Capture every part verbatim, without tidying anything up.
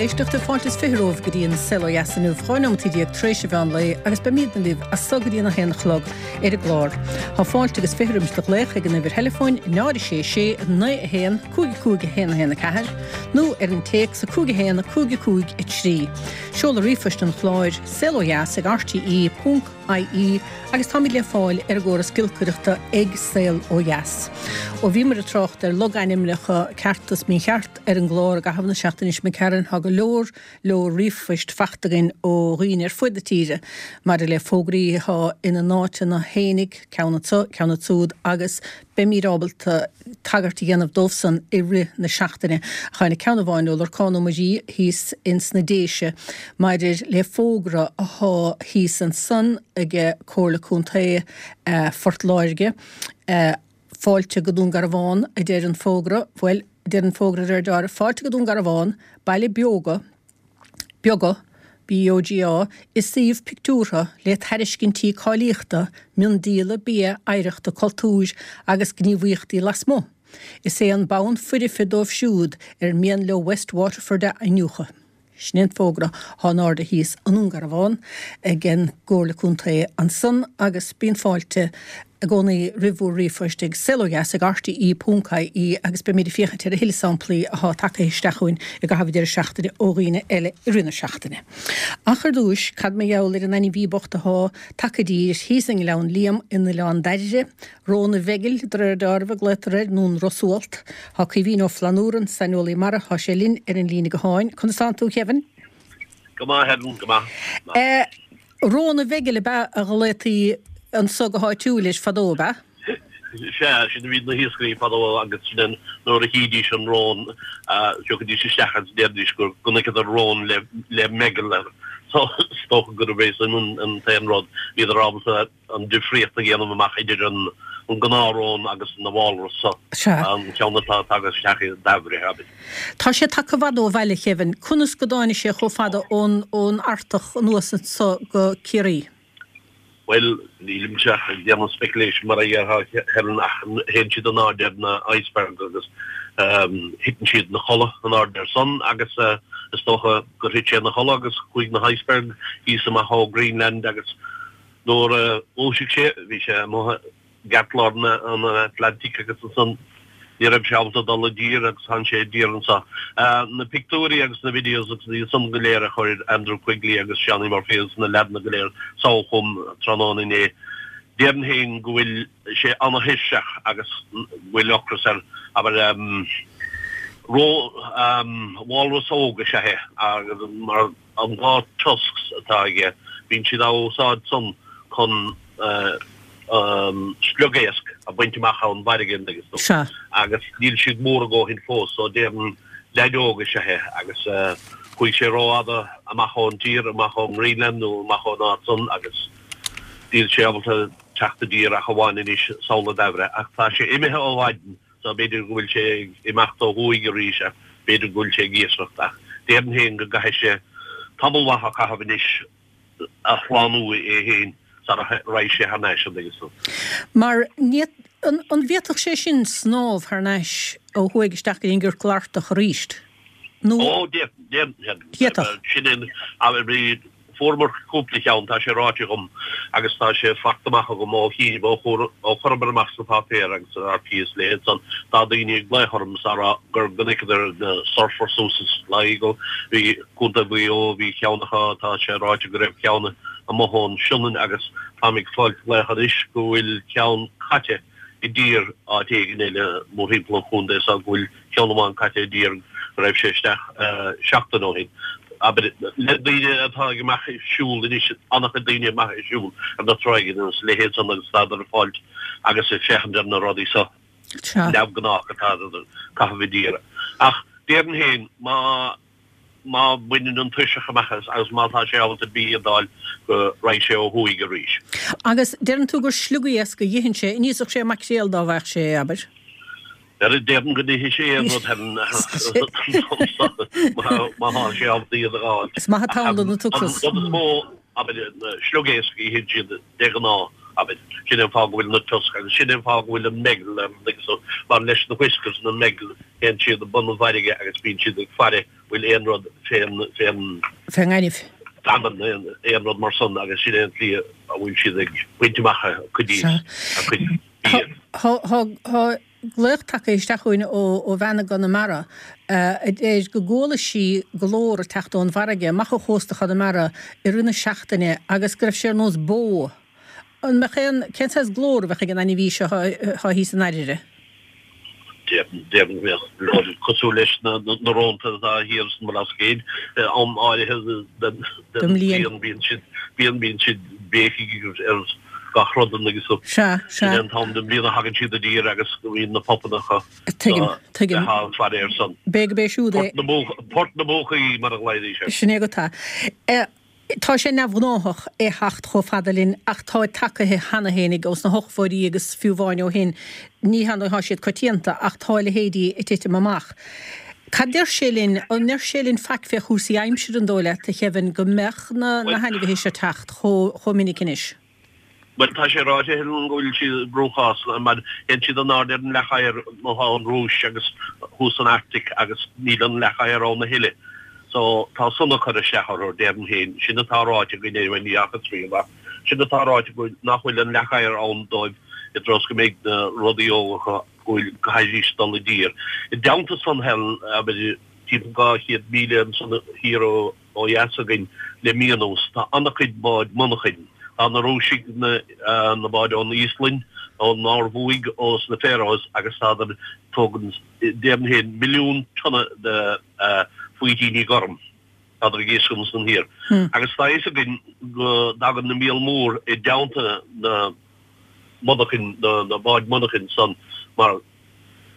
éisteachta fáilte is fiche romhaibh go dtí an Saol Ó Dheas inniu dhá nóiméad déag tar éis an mheán lae agus beimidne libh as so go dtí an haon a chlog ar an gclár. Tá fáilte agus fiche roimis do ghlaoch ag an uimhir theileafóin náid sé sé naoi a haon cúig cúig a haon a haon a ceathair nó ar an téacs a cúig a haon a cúig a cúig a trí. Seoladh ríomhphoist an chláir saol ó dheas ag RTE ponc IE agus táimid le fáil ar an gcóras giolcaireachta ag Saol Ó Dheas. Ó bhíomar ag trácht ar logainmneacha ceart is mícheart ar an gclár i gcaitheamh na seachtaine seo Karen tá go leor leor ríomhphoist faighte againn ó dhaoine ar fud na tíre maidir le fógraí atá ina n-áiteanna fhéinig ceann anseo ceann ansúd agus beimid ábalta tagairt a dhéanamh dóibhsan i rith na seachtaine. Tháinig ceann amháin ó Lorcán Ó Muirí thíos ins na Déise maidir le fógra atá thíos ansan ag Comhairle Contae Phort Láirge fáilte go Dún Garbhán a deir an fógra, bhuel deir an fógra ar deireadh fáilte go Dún Garbhán, baile beoga, beoga, BOGA, i suíomh pictiúrtha le tairiscintí cáilíochta, miondíola, bia, oidhreachta, cultúir agus gníomhaíochtaí lasmuigh. Is é an bonn foirfe dóibh siúd ar mian leo West Waterford a iniúchadh. Sin an fógra atá in airde thíos i nDún Garbhán ag an gComhairle Contae ansan agus bíonn fáilte i gcónaí roimh bhur ríomhphoist ag saol ó dheas ag RTE ponc IE agus beimid ag féachaint ar a thuilleadh samplaí atá tagtha isteach chugainn i gcaitheamh deireadh seachtaine ó dhaoine eile i rith na seachtaine. Ach ar dtús, cad mar gheall ar an ainmhí bocht atá tagtha i dtír thíos i nGleann Liam in Oileán Dairbhre, Rón an Mheigil, de réir dealraimh a glaotar air, nó an rosualt. Tá Caoimhín Ó Flannúra, saineolaí mara, tá sé linn ar an líne gutháin. Conas tánn tú, Kevin? Go maith, Helen, go maith. Rón an Mheigil ab ea a ghlaotaí anso go háitiúil leis fadó, ab ea? Sea, sin a bhí na hiascairí fadó agus sin nuair a chídís an rón, thiocfaidís isteach agus deiridís go gconaiceadar rón le le meigeall air. So is dócha gurb é sin an t-aon rud. Bhíodar ábalta an difríocht a dhéanamh amach idir an an gnáthrón agus na walrus so, an ceann atá tagtha isteach i Dairbhre, abair. Tá sé tagtha i bhfad ó bhaile, Kevin. Conas go dtáinig sé chomh fada ón ón Artach anuas anso go Ciarraí? Bhuel, nílimse ach ag déanamh speculation mar a déarfá, Helen, ach théann siad in airde ar na icebergs agus thiteann siad ina chodladh in airde air san agus is dócha gur thit sé ina chodladh agus chuaigh na hiceberg thíos amach ó Greenland agus nuair a dhúisigh sé bhí sé amuigh i gceartlár an Atlantic agus ansan Ní raibh sé ábalta dul i dtír agus tháinig sé i dtír anseo. Na pictiúirí agus na videos agus iad san go léir a chuir Andrew Quigley agus Seánie Murphy agus na leaideanna go léir sall chugam tráthnóna inné, déarfainn féin go bhfuil sé ana-thuirseach agus go bhfuil ocras air. Abair, ró, walrus óg is ea é agus mar an dhá tusks atá aige, bíonn siad á úsáid san chun sliogéasc a bhaint amach ón bhfarraige an dtuigeann tú. Sea. Agus níl siad mór a dhóthain fós so déarfainn leaid óg is ea é agus chuaigh sé rófhada amach ón tír, amach ón nGreenland nó amach ón áit san agus níl sé ábalta teacht i dtír ach amháin anois sall i Dairbhre. Ach tá sé imithe ó mhaidin so b'fhéidir go bhfuil sé ag imeacht ó thuaidh arís ach b'fhéidir go bhfuil sé ag iascaireacht ach déarfainn féin go gcaithfidh sé tamall maith a chaitheamh anois a shlánú é féin sara raghaidh sé thar n-ais, an dtuigeann tú. Mar ní, an, an bhféadfadh sé sin snámh thar n-ais ó thuaidh isteach go dtí an gciorcal Artach arís? Nó. Ó, d'fhéadfadh. D'fhéadfadh. Sin é, abair, bhí, fuaireamar cúpla cheann, tá sé ráite agam agus tá sé faighte amach agam ó chinnibh, ó chuir, ó chuireamar amach sna páipéir agus san RTÉ is a leithéid san, tá daoine ag glaoch orm is á rá gur chonaiceadar na surfers suas i Sligo, bhí, Contae Mhaigh Eo, bhí ceann acu, tá sé ráite go raibh ceann amuigh ón Sionainn agus táim ag fáilt glaoch anois go bhfuil ceann caite i dtír áit éigin eile mórthimpeall an chontae so go bhfuil ceann amháin caite i dtír go raibh sé isteach seachtain ó shin. Abair, le daoine atá ag amach ag siúl anois, an-chuid daoine amach ag siúl ar na tráigheanna agus a leithéid san agus tádar ag fáilt agus ag féachaint ar na rudaí so. Neamhghnách atá ag caitheamh i dtír. Ach déarfainn féin má má bhaineann an tuirseach amach as agus má tá sé ábalta bia d'fháil go raghaidh sé ó thuaidh arís. Agus deireann tú gur sliogéasc a itheann sé, an íosfadh sé maicréal dá bhfaigheadh sé é, abair? Déarfainn go n-itheann sé aon rud má tá sé ábalta iad a dh'fháil. Is maith an t-am don an t-ocras. An rud is mó, abair, na sliogéasc a itheann siad de ghnáth, abair. Sin é an fáth go bhfuil na tusks agus sin é an fáth go bhfuil an meigeall ar an mar leis na whiskers na meigeall théann siad i bun an bhfarraige agus bíonn siad ag faire bhfuil aon rud fén fén Fén ngaineamh. feamainn aon aon rud mar san agus sin é an tslí a bhfuil siad ag baint amach a cuid Sea. a cuid bia. Tá tá tá glaoch tagtha isteach chugainn ó ó bhean i gConamara a deir go gcuala sí glór ag teacht ón bhfarraige amach ó chósta Chonamara i rith na seachtaine agus go raibh sé ar nós bó. An mbeadh aon cén saghas glór a bheadh ag an ainmhí seo atá thíos i ndáiríre? Déarfainn go mbeadh rud cosúil leis na na rónta atá thiar san mBlascaod am áirithe den Den mbliain. bhliain bíonn siad bíonn bíonn siad béicigh ar gach rud agus so Sea, sin sea. an t-am den bhliain a thagann siad i dtír agus go mbíonn na pupanna acu Tuigim, tuigim. le faire ar son. B'fhéidir gurb é siúd é. Port na mBuach- Port na mBuachaillí mar a ghlaoidís air. Sin é go tá. Eh, Tá sé neamhghnáthach é theacht chomh fada linn ach tá tagtha cheana fhéinig ós na hochtóidí agus fiú amháin ó shin. Ní hann tá siad coitianta ach tá leithéidí ag titim amach. Cad deir sé linn an ndeir sé linn faic fé chúrsaí aimsire an dóigh leat a Kevin go mbeadh na na hainmhithe seo teacht chomh chomh minic anois. Well tá sé ráite go bhfuil siad brúchás mar théann siad in airde ar an leac oighir má tá an Rúis agus thuas san Arctic agus níl an leac oighir ann a thuilleadh. So tá san ag cur isteach orthu déarfainn féin sin atá ráite againn é ní fhaca trí amach. Sin atá ráite go nach bhfuil an leac oighir ann dóibh i dtreo go mbeidh na rudaí óga go bhfuil go haidís dul i dtír. I dteannta san Helen abair timpeall dhá chéad míle ansan thiar ó ó dheas againn le mí anuas tá an-chuid báid monarchain. Tá na Rúisigh na na báid ón Íoslainn, ón Norbhuaidh, ós na Faroes agus tádar tógann déarfainn féin milliún tonna de faoitíní gorm. Tádar ag iascach ansan thiar. Agus tá fhios againn go dtagann na míol mór i dteannta na monarchain na na báid monarchain san mar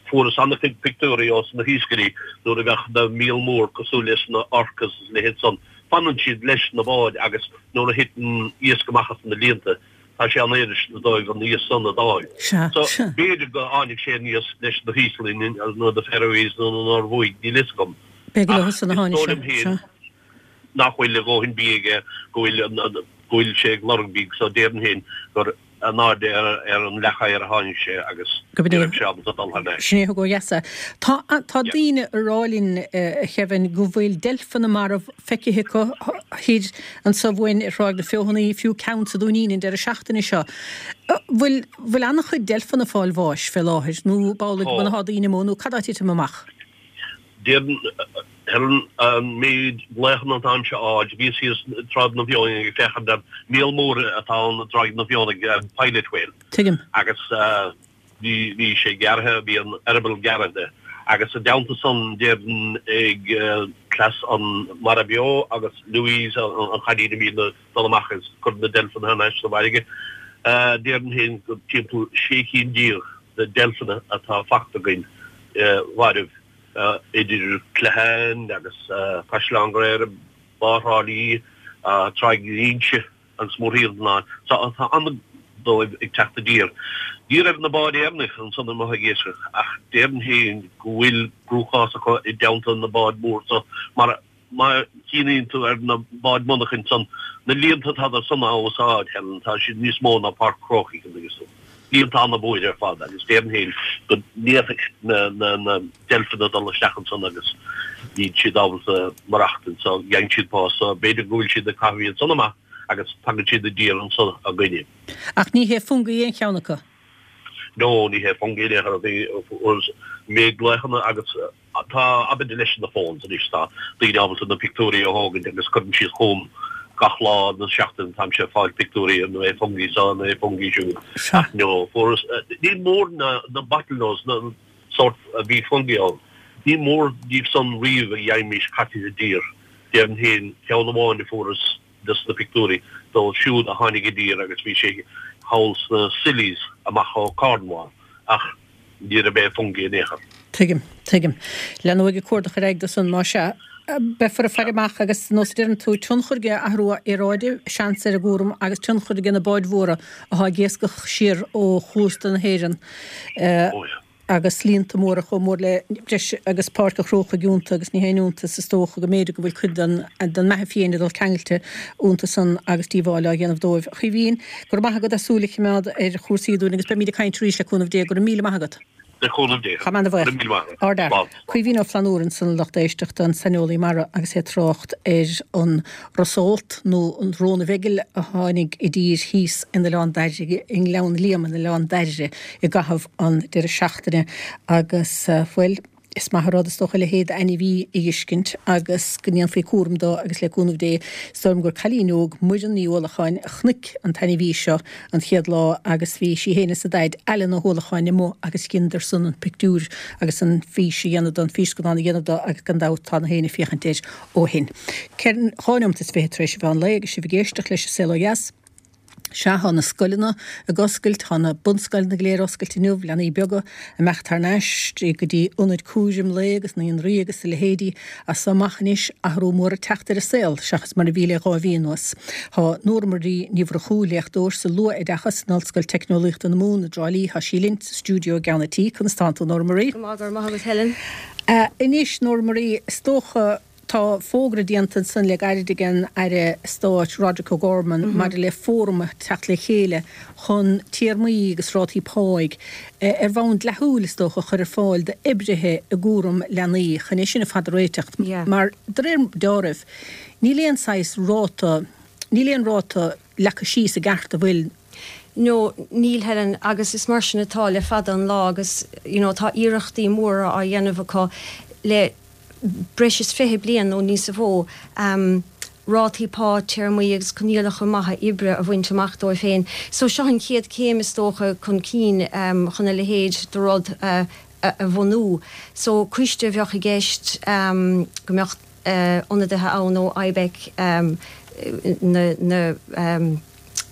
fuarthas an-chuid pictiúirí ós na hiascairí nuair a bheadh na míol mór cosúil leis na orcas is leithéid san. Fanann siad leis na báid agus nuair a thiteann iasc amach as na líonta tá sé an-éasca dóibh an iasc san a d'fháil. Sea, So sea. b'fhéidir go tháinig sé aníos leis na hÍoslainn nó na Faroese nó na Norbhuaidh, níl fhios agam. B'fhéidir Ach leo san a is tháinig dóigh sé, liom féin sea. nach bhfuil a dhóthain bia aige go bhfuil an- an- go bhfuil sé ag lorg bídh so déarfainn féin gur in airde ar ar an leac oighir a tháinig sé agus Go ní b'in é. raibh sé ábalta dul thar n-ais. Sin é a thug ó dheas é. Tá tá daoine ag rá linn a Kevin go bhfuil deilfeanna marbh feicthe acu thiar anso uainn ar Thráigh na Feothanaí, fiú ceann sa Dúinín an deireadh seachtaine seo. Bhfuil bhfuil an-chuid deilfeanna ag fáil bháis fé láthair nó b'amhlaidh Tá. muna thá daoine amuigh nó cad á titim amach? Déarfainn Helen an méid glaochanna atáimse a fháil, bhíos thíos Tráigh na bhFeothanaí ag féachaint ar míol mór atá ann i dTráigh na bhFeothanaí, pilot whale. Tuigim. Agus bhí bhí sé gearrtha, bhí an eireaball gearrtha de. Agus i dteannta san déarfainn ag cleas an Mara Beo agus Louise an chailín a bhíonn ag dul amach agus cur na deilfeanna thar n-ais sa bhfarraige, déarfainn féin go timpeall sé cinn déag de deilfeanna atá fachta againn mhairbh. Idir Cloicheán agus Caisleán Ghréire, Bá Thrá Lí, Tráigh Inse agus mórthimpeall na So tá an dóibh ag teacht i dtír. Ní raibh na báid Éireannacha ansan amuigh ag iascach ach déarfainn féin go bhfuil cruachás acu i dteannta na báid mór so mar má chíonn tú ar na báid monarchain san na líonta atá san á úsáid, Helen, tá siad níos mó ná Páirc Chrócaigh agus líonta ana-mhór ar fad agus déarfainn féin go ndéanfaidh na na na deilfeanna dul isteach ansan agus níl siad ábalta maireachtaint so gheibheann siad bás so b'fhéidir go bhfuil siad ag caitheamh iad san amach agus tagann siad i dtír anso againne. Ach ní hé fungie aon cheann acu? No, ní hé fungie aon chor ar bith. Méid glaochanna agus tá abair leis na phones anois tá daoine ábalta na pictiúirí a thógaint agus cuireann siad chugam gach lá den seachtain táimse ag fáil pictiúirí an é fungie seo an é fungie siúd. Sea. No, fuarthas ní mór na na bottlenose na sórt a bhí fungie ann. Ní mór díobh san riamh a gheibhimís caite i dtír. Déarfainn féin ceann amháin a fuarthas des na pictiúirí dóibh siúd a tháinig i dtír agus bhí sé thall sna Scillies amach ó Cornwall ach ní raibh é fungie in aon chor. Tuigim, tuigim. Leanfaidh ag cuardach ar aghaidh dó san, más ea. Beifear ag faire amach agus nós a deireann tú, tionchar ag athrú aeráide, seans ar an gcúram agus tionchar ag na báid mhóra atá ag iascach siar ó chósta na hÉireann agus líonta móra chomh mór le breis agus Páirc an Chrócaigh iontu agus ní haon iontas is dócha go mb'fhéidir go bhfuil cuid den den mbeatha fiáin ag dul ceangailte iontu san agus díobháil á dhéanamh dóibh. A Chaoimhín, go raibh maith agat as súil a choimeád ar chúrsaí dúinn agus beimid ag caint arís le cúnamh Dé. Go raibh míle maith agat. Le cúnamh Dé. Tá mé ana-bhuíoch. Go raibh míle maith agat. Ardfhear. Slán. Caoimhín Ó Flannúra ansan a lucht éisteachta, an saineolaí mara agus é ag trácht ar an ros-eolt nó an rón mheigill a tháinig i dtír thíos in Oileán Dairbhre, i nGleann Liam in Oileán Dairbhre i gcaitheamh an deireadh seachtaine agus, bhuel, is maith an rud is dócha a leithéid d'ainmhí a fheiscint agus go ndéanfaí cúram dó agus le cúnamh Dé, is dóigh liom gur cailín óg, Muireann Ní Uallacháin, a chonaic an t-ainmhí seo an chéad lá agus bhí sí féin is a daid, Alan Ó hUallacháin, amuigh agus dheineadar san an pictiúr agus an fís a dhéanamh dó, an físcannán a dhéanamh dó agus gan dabht tá na héinne ag féachaint air ó shin. Ceithre, dhá neomat is fiche tar éis an mheán lae agus sibh ag éisteacht leis an Saol Ó Dheas. Sea, tá na scoileanna ag oscailt, tá na bunscoileanna go léir oscailte inniu, leanaí beaga ag imeacht thar n-ais go dtí ionaid cúraim lae agus naíonraí agus a leithéidí. As so amach anois, athrú mór ag teacht ar an saol, seachas mar a bhí le dhá mhí anuas. Tá Nóra Marie Ní Mhurchú, léachtóir sa luath-oideachas in Ollscoil Teicneolaíochta na Mumhan i dTrá Lí, tá sí linn sa stiúideo i gceann an tí. Conas tánn tú, Nóra Marie? Go maith, go raibh maith agat, Helen. Anois, Nóra Marie, is dócha, Tá fógra déanta ansan le gairid ag an Aire Stáit Roderic O'Gorman maidir le fóram a theacht le chéile chun téarmaí agus rátaí páigh, ar bhonn dleathúil is dócha, a chur ar fáil d'oibrithe i gcúram leanaí chun é sin ar fad a réiteach mar de réir deáraimh níl aon saghas ráta, níl aon ráta leagtha síos i gceart an bhfuil? No, níl Helen, agus is mar sin atá le fada an lá agus you know tá iarrachtaí móra á dhéanamh acu le breis is fiche bliain nó níos mó, rátaí pá, téarmaí agus coinníollacha maithe oibre a bhaint amach dóibh féin. So seo an chéad chéim is dócha chun cinn chun a leithéid de rud a bhunú. So coiste a bheadh i gceist go mbeadh ionadaithe ann ó IBEC, na, na,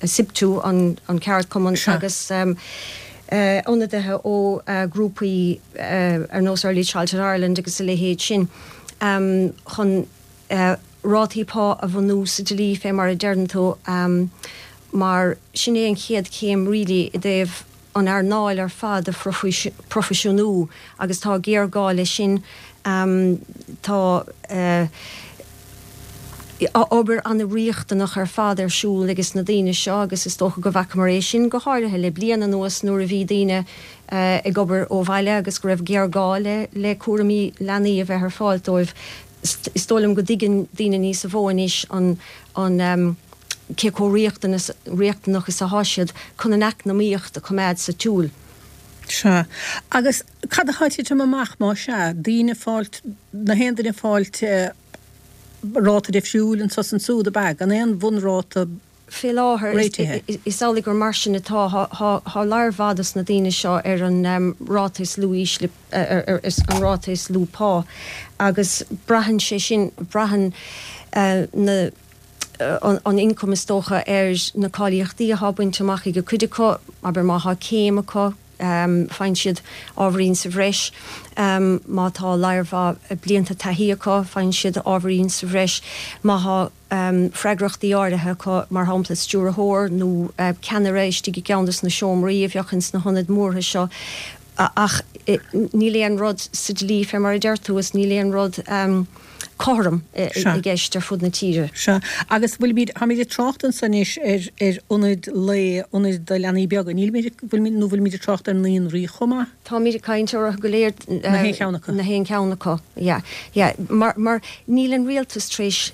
SIPTU, an ceardchumann, agus ionadaithe ó ghrúpaí ar nós Early Childhood Ireland agus a leithéid sin, chun rátaí pá a bhunú sa dlí, fé mar a deireann tú, mar sin é an chéad chéim really i dtaobh an earnáil ar fad a phroifisiúnú agus tá géarghá leis sin. Tá obair an-riachtanach ar fad ar siúl ages na daoine seo agus is dócha go bhfacamar é sin go háirithe le bliain anuas nuair a bhí daoine ag obair ó bhaile agus go raibh géarghá le le cúraimí leanaí a bheith ar fáil dóibh. Is dóigh liom go dtuigeann daoine níos mó anois an an cé chomh riachtanas riachtanach is atá siad chun an eacnamaíocht a choimeád sa tsiúl. Sea. Agus cad atá ag titim amach más ea? Daoine ag fáilt, na haon duine ag fáilt ráta difriúil anso is ansúd, ab ea? Gan aon bhunráta Fé láthair, réitithe? is amhlaidh gur mar sin atá. Tá lear mhaith dos na daoine seo ar an ráta is lú ísle, ar an ráta is lú pá agus braitheann sé sin, braitheann na, an ioncam is dócha ar na cáilíochtaí atá bainte amach ag cuid acu, abair má thá céim acu, faigheann siad ábhairín sa bhreis, má tá lear mhaith blianta taithí acu, faigheann siad ábhairín sa bhreis, má thá freagrachtaí áirithe acu, mar shampla stiúrthóir nó ceannaire istigh i gceann dos na seomraí a bheadh ins na hionaid mhóra seo. Ach níl aon rud sa dlí fé mar a deir tú is níl aon rud cothrom i gceist ar fud na tíre. Sea. Agus bhfuilimid, táimid ag trácht anso anois ar, ar ionaid lae, ionaid do leanaí beaga, nílimid, bhfuilimid, nó bhfuilimid ag trácht ar naíonraí chomh maith? Táimid ag caint orthu go léir. Na haon cheann acu. Na haon cheann acu, yeah, yeah. Mar, mar níl an rialtas tar éis,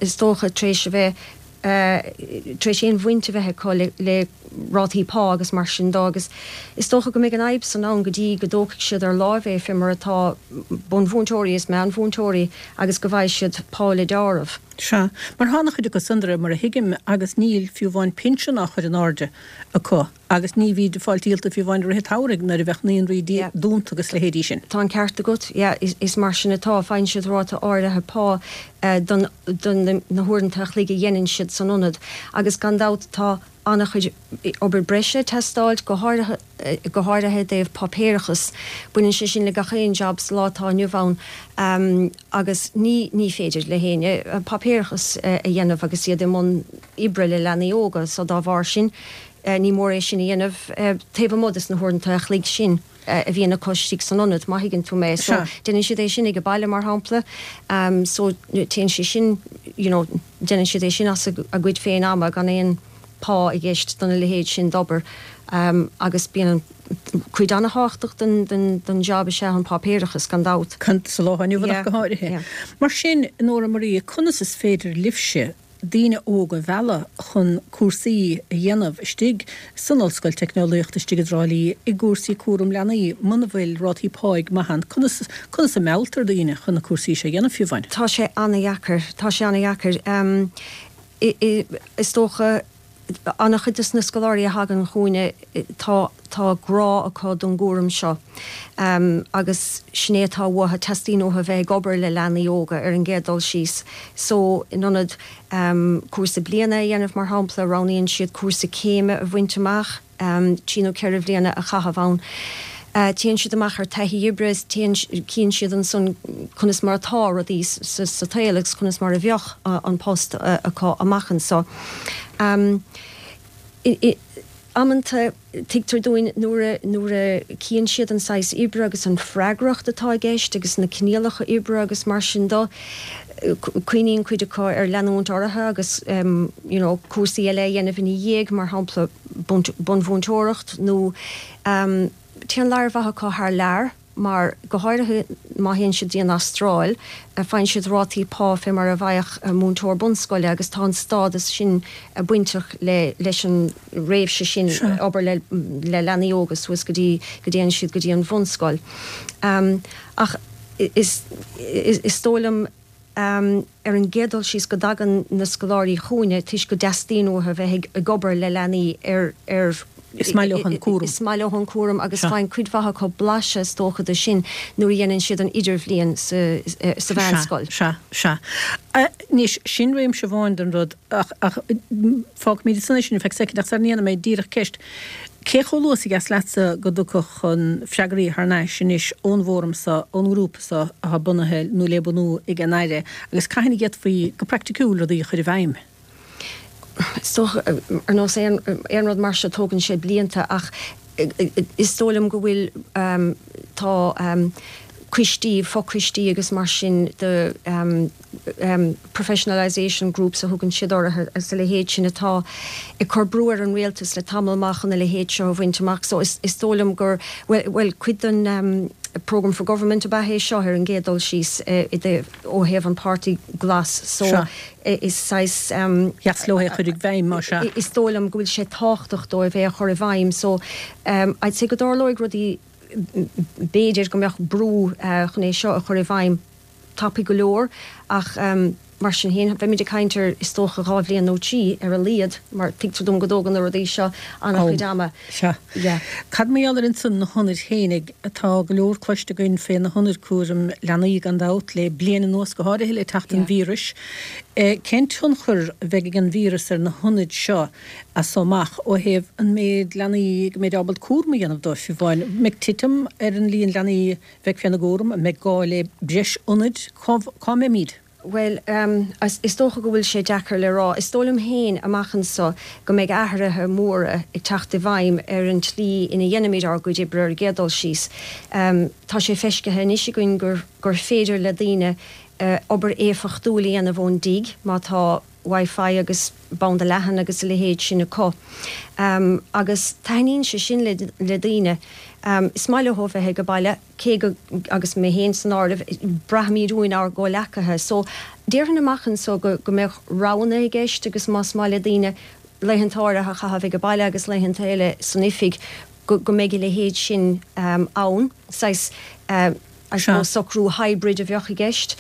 is dócha, tar éis a bheith, tar éis aon bhaint a bheith acu le rátaí pá agus mar sin dó agus is dócha go mbeidh an fhadhb san ann go dtí go dtógfaidh siad ar láimh é fé mar atá bunmhúinteoirí is meánmhúinteoirí agus go bhfaighidh siad pá le deáramh. Sea, mar tá an-chuid acu san de réir mar a thuigim agus níl fiú amháin pinsean á chur in airde acu. Agus ní bhíd ag fáil díolta fiú amháin i rith an tsamhraidh nuair a bheadh naíonraí dúnta agus leithéidí sin. Tá an ceart agat, yeah, is mar sin atá. Faigheann siad ráta áirithe pá don don na huaireanta a chloig a dhéanann siad san ionad agus gan dabht tá an-chuid obair breise ag teastáilt, go háirithe go háirithe i dtaobh páipéarachas. Baineann sé sin le gach aon jab sa lá atá inniu ann agus ní ní féidir le héinne páipéarachas a dhéanamh agus iad i mbun oibre le leanaí óga so dá bharr sin Ní mór é sin a dhéanamh taobh amuigh des na huaireanta a chloig sin a bhíonn acu istigh san ionad, má thuigeann tú mé. So, déanann siad é sin ag baile, mar shampla. So, téann sé sin, you know, déanann siad é sin as a gcuid féin ama gan aon pá i gceist dona leithéid sin d'obair agus bíonn an cuid an-tábhachtach den den den job is ea an páipéarachas gan dabht. Sa lá inniu ach go háirithe. Mar sin, Nóra Marie, conas is féidir libhse daoine óga a mhealladh chun cúrsaí a dhéanamh istigh san Ollscoil Teicneolaíochta istigh i dTrá Lí i gcúrsaí cúram leanaí muna bhfuil rátaí páigh maith ann? Conas conas a mhealltar daoine chun na cúrsaí seo a dhéanamh fiú amháin? Tá sé an-dheacair. Tá sé an-dheacair. Is dócha an-chuid de na scoláirí a thagann chugainne, tá tá grá acu don gcúram seo agus sin é atá uathu, teastaíonn uathu bheith ag obair le leanaí óga ar an gcéad dul síos. So, in ionad cúrsa bliana a dhéanamh, mar shampla, roghnaíonn siad cúrsa céime a bhaint amach. trí nó ceithre bhliana a chaitheamh ann. Téann siad amach ar taithí oibre is téann, cíonn siad ansan conas mar atá rudaí sa tsaol agus conas mar a bheadh an post acu amach anso. Amanta, tuigtear dúinn nuair a, nuair a chíonn siad an saghas oibre agus an freagracht atá i gceist agus na coinníollacha oibre agus mar sin do, cuimhníonn cuid acu ar leanúint orthu agus you know cúrsaí eile a dhéanamh ina dhiaidh, mar shampla bunmhúinteoireacht nó téann lear mhaith acu thar lear mar go háirithe má théann siad dtí an Astráil faigheann siad rátaí pá fé mar a bhfaigheadh múinteoir bunscoile agus tá an stádas sin bainteach le leis an réimse sin obair le le leanaí óga suas go dtí go dtéann siad go dtí an bhunscoil. Ach is is dóigh liom ar an gcéad dul síos go dtagann na scoláirí chugainne toisc go dteastaíonn uathu bheith ag obair le leanaí ar ar Is maith leo an cúram. Is maith leo an cúram agus faigheann cuid mhaith acu blaiseadh is dócha de sin nuair a dhéanann siad an idirbhliain sa sa mheánscoil. Sea, sea. Anois, sin réimse amháin den rud ach ach fágfaimid ansan é sin ar feadh soicind ach sara ndéanfaidh mé díreach ceist, Cé chomh luath is a dheas leatsa go dtiocfadh an freagraí thar n-ais anois ón bhfóram so, ón ngrúpa so atá bunaithe nó le bunú ag an Aire agus cathain a d'fhéadfaí go praiticiúil rudaí a chur i bhfeidhm? Is dócha, ar nós aon aon rud mar seo tógann sé blianta ach is dóigh liom go bhfuil tá coistí, fochoistí agus mar sin de professionalisation groups a thugann siad orthu agus a leithéid sin atá ag cur brú ar an rialtas le tamall maith chun a leithéid seo a bhaint amach. So is dóigh liom gur, bhuel, bhuel cuid den Programme for Government ab ea é seo ar an gcéad dul síos i dtaobh, ó thaobh an Páirtí Glas. So is saghas. Dheas leo é a chur i bhfeidhm, más ea. Is dóigh liom go bhfuil sé tábhachtach dóibh é a chur i bhfeidhm. So I'd say go dtarlóidh rudaí B'fhéidir go mbeadh brú chun é seo a chur i bhfeidhm tapaidh go leor ach mar sin féin beimid ag caint ar is dócha dhá bhliain nó trí ar a laghad mar tuigtear dom go dtógann na rudaí seo an-chuid ama. Sea. Cad mar gheall ar ansan na hionaid fhéinig? Tá go leor cloiste againn fé na hionaid cúraim leanaí gan dabht le bliain anuas go háirithe le teacht an víris. Cén tionchar a bheidh ag an víreas ar na hionaid seo as so amach ó thaobh an méid leanaí go mbeidh ábalta cúram a dhéanamh dóibh, fiú amháin? An mbeidh titim ar an líon leanaí a bheidh féna gcúram? An mbeidh gá le breis ionaid? Cá cá mbeimid? Bhuel, is dócha go bhfuil sé deacair le rá. Is dóigh liom féin, amach anso, go mbeidh athruithe móra ag teacht i bhfeidhm ar an tslí ina dhéanaimid ár gcuid oibre ar an gcéad dul síos. Tá sé feiscithe anois againn gur gur féidir le daoine obair éifeachtúil a dhéanamh ón dtigh má tá Wi-Fi agus banda leathan agus a leithéid sin acu. Agus taitníonn sé sin le daoine. Is maith leo bheith ag baile, cé go, agus mé féin san áireamh, braithimid uainn ár gcomhleacaithe. So, déarfainn amach anso go mbeadh roghanna i gceist agus más maith le daoine laethanta áirithe a chaitheamh ag baile agus laethanta eile san oifig, go mbeidh a leithéid sin ann. Saghas. I suppose socrú hybrid a bheadh i gceist.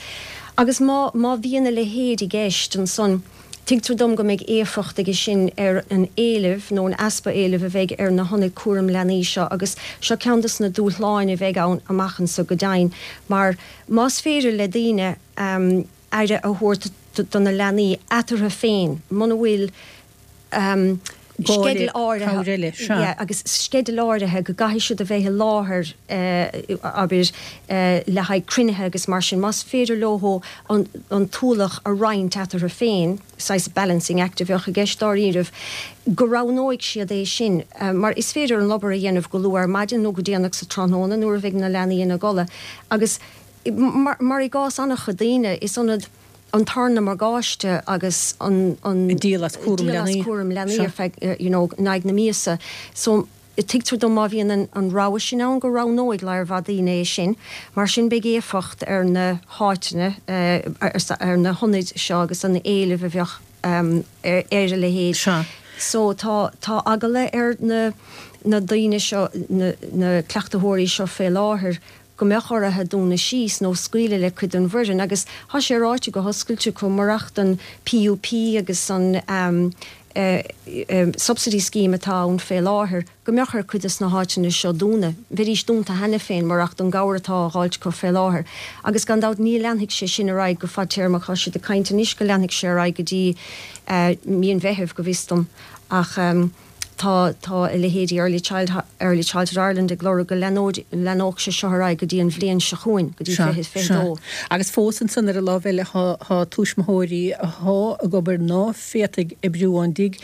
Agus má má bhíonn a leithéid i gceist, ansan tuigtear dom go mbeidh éifeacht aige sin ar an éileamh nó an easpa éilimh a bheidh ar na hionaid cúraim leanaí seo agus seo ceann dos na dúshláin a bheidh ann amach anso go deimhin mar más féidir le daoine aire a thabhairt do na leanaí eatarthu féin muna bhfuil sceideal áirithe, yeah, agus sceideal áirithe go gcaithfidh siad a bheith i láthair, abair, le haghaidh cruinnithe agus mar sin, más féidir leo an an t-ualach a roinnt eatarthu féin, saghas balancing act a bheadh i gceist dáiríribh, go roghnóidh siad é sin, mar is féidir an obair a dhéanamh go luath ar maidin nó go déanach sa tráthnóna nuair a bheidh na leanaí ina gcodladh agus mar mar i gcás an-chuid daoine, is ionad. an tarna morgáiste agus an an díol as cúram leanaí cúram leanaí ar feadh you know in aghaidh na míosa. So tuigtear dom má bhíonn an, an rogha sin ann go roghnóidh lear mhaith daoine é sin, mar sin beidh éifeacht ar na háiteanna uh, ar, ar na hionaid seo agus an éileamh a bheadh um, ar, ar a leithéid. Sea. So tá tá eagla ar na na daoine seo na, na cleachtaitheoirí seo fé láthair go mbeadh orthu dúnadh síos nó scaoileadh le cuid den bhfoireann agus tá sé ráite go hoscailte acu murach don PUP agus an um, uh, um, subsidy scheme atá ann fé láthair go mbeadh ar cuid des na háiteanna seo dúnadh. Bheidís dúnta cheana féin murach don gcabhair atá á fháilt acu fé láthair. Agus gan dabht ní leanfaidh sé sin ar aghaidh go fadtéarmach tá siad ag caint anois go leanfaidh sé ar aghaidh go dtí uh, mí an Mheithimh go bhfios dom ach um, tá tá a leithéidí Early Child Early Childhood Ireland ag lorg go leanfadh sé seo ar aghaidh go dtí an bhliain seo chugainn go dtí fiche fiche dó. Agus fós ansan ar an lámh eile tá tuismitheoirí atá ag obair ná féadfaidh oibriú ón dtigh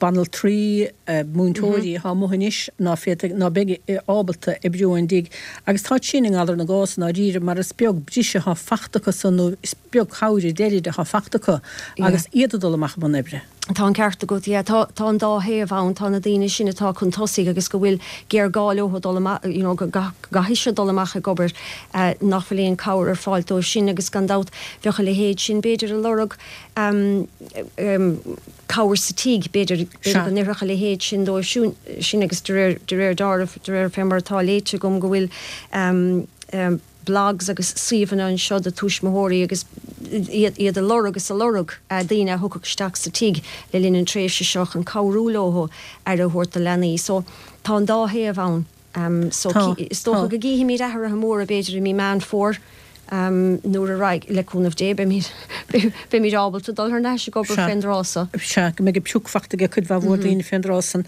banaltraí múinteoirí atá amuigh anois ná féadfaidh ná beidh ábalta oibriú ón dtigh agus tá sin i ngalar na gcás dáiríre mar is beag briseadh atá fachta acu san nó is beag cabhair deiridh atá fachta acu agus iad ag dul amach i mbun oibre. Tá an ceart agat yeah, tá tá an dá thaobh ann tá na daoine sin atá chun tosaigh agus go bhfuil géarghá leo dul amach you know, go gcaithfidh siad dul amach ag obair uh, nach bhfuil aon cabhair ar fáil dóibh sin agus gan dabht bheadh a leithéid sin b'fhéidir ag lorg um, um, cabhair sa tigh b'fhéidir b'fhéidir go n-oirfeadh a leithéid sin dóibh sin, sin agus de réir de réir dealraimh de réir fé mar atá léite agam go bhfuil um, um, blogs agus suíomhanna anseo do tuismitheoirí agus iad iad ag lorg agus ag lorg uh, daoine a thiocfadh isteach sa tigh le linn an tréimhse seo chun cabhrú leo aire a thabhairt do leanaí. So tá an dá thaobh ann. Um, so Tá, is dócha tá. go gcífimid athruithe móra b'fhéidir i mí Meán Fómhair um, nuair a raghaidh le cúnamh Dé beimid beimid ábalta dul thar n-ais ag obair Sea. fén dtráth so. Sea go mbeidh pioc fachta ag cuid mhaith mhór daoine fén dtráth san.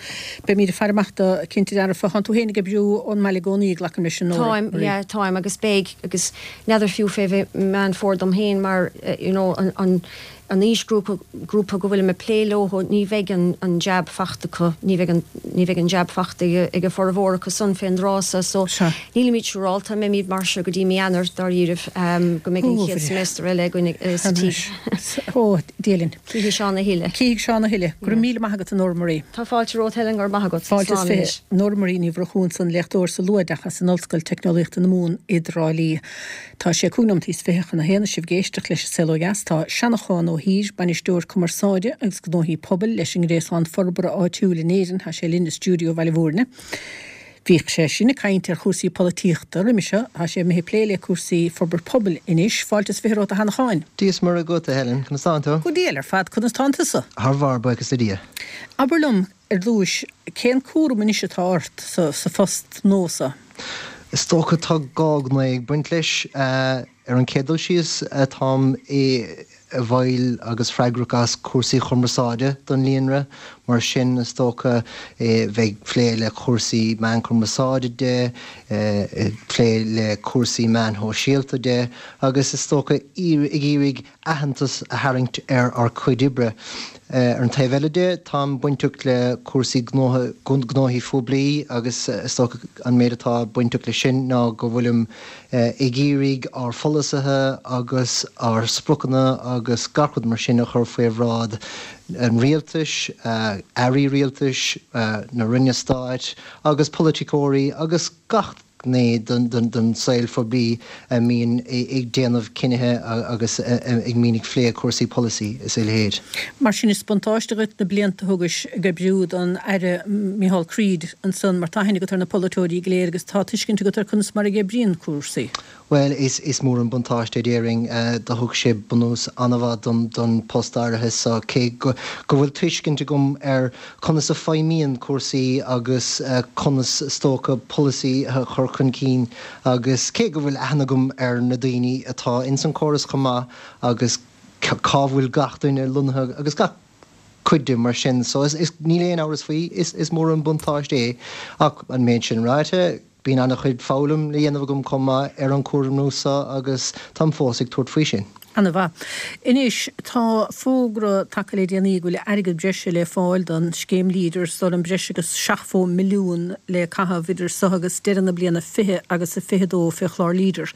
Beimid ag faire amach dó cinnte dearfa tánn tú féin ag oibriú ón mbaile i gcónaí glacaim leis an Nóra. Táim yeah, táim agus beidh agus n'fheadar fiú fé bheith Meán Fómhair dom féin mar uh, you know, an, an, an aoisghrúpa grúpa go bhfuil mé ag plé leo ní bheidh an, an jab fachta acu ní bheidh an, ní bheidh an jab fachta ag ag a formhór acu san fén dtráth so so Sea. nílimid siúrálta mbeimid mar seo go dtí mí Eanáir dáiríribh um, go mbeidh an Ó, chéad bhrí. semester eile againn uh, sa tigh. Ó, Dia linn. Cífidh Seán a thuilleadh. Cífidh Seán a thuilleadh. Go raibh míle maith agat a Nóra Marie. Tá fáilte romhat Helen go raibh maith agat. Fáilte is Slán fiche anois. Nóra Marie Ní Mhurchú ansan léachtóir sa luathoideachas in Ollscoil Teicneolaíochta na Mumhan i dTrá Lí. Tá sé cúig nóiméad is fiche chun a haon sibh ag éisteacht leis an Saol Ó Dheas tá Seanachán Ó hÍr bainisteoir cumarsáide agus gnóthaí pobail leis an nGréasán Forbartha Áitiúil in Éirinn tá sé linn i stiúideo Bhaile Mhúirne. Bhíodh sé sin ag caint ar chúrsaí polaitíochta roimhe seo tá sé imithe plé le cúrsaí forbairt pobail anois fáilte is fiche romhat a Sheanacháin. Dia is Muire agat a Helen, conas tánn tú? Go diail ar fad conas tánn tusa. Thar barr buíochas le Dia. Abair liom ar dtús cén cúram anois atá ort sa, sa phost nua so. Is dócha tá dhá ghné ag baint leis uh, ar an chéad dul síos táim i i bhfeighil agus freagrach as cúrsaí cumarsáide don líonra, mar sin is dócha eh, bheith plé le cúrsaí meán cumarsáide de, eh, plé le cúrsaí meán sóisialta de, agus is dócha ag iarraidh aitheantas a tharraingt ar ár gcuid oibre. Uh, ar an taobh eile de táim bainteach le cúrsaí gnóthaí poiblí agus eh, is dócha an méid atá bainteach le sin ná go bhfuilim uh, ag iarraidh ár bpolasaithe agus ár spriocanna agus gach rud mar sin a chur faoi bhráid an rialtais, uh, airí rialtais, uh, na ranna stáit agus polaiteoirí agus gach gné den, den, den saol phoiblí a mbíonn ag déanamh cinnithe agus ag mbíonn ag plé cúrsaí polasaí is a leithéid. Mar sin is buntáiste duit na blianta a thugais ag oibriú don Aire Micheál Creed ansan mar tá aithne agat ar na polaiteoirí go léir agus tá tuiscint agat ar conas mar a oibríonn cúrsaí. Well is, is mór an buntáiste déarfainn uh, do thug sé bunús an-mhaith don, don post áirithe so cé go, go bhfuil tuiscint agam ar conas a feidhmíonn cúrsaí agus uh, conas is dócha polasaí a chur chun cinn agus cé go bhfuil aithne agam ar na daoine atá ins an córas chomh maith agus cá bhfuil gach duine lonnaithe agus gach cuid de mar sin so is, is níl aon amhras faoi is, is mór an buntáiste é ach an méid sin ráite bíonn an-chuid foghlaim le déanamh agam chomh maith ar an chúram nua agus táim fós ag tabhairt faoi sin. Ana-mhaith. Anois, tá fógra tagtha le déanaí go bhfuil airgead breise le fáil don scéim Leader, is dóigh liom breis agus seachtó milliún le caitheamh idir seo agus deireadh na bliana fiche agus a fiche dó fé chlár Leader.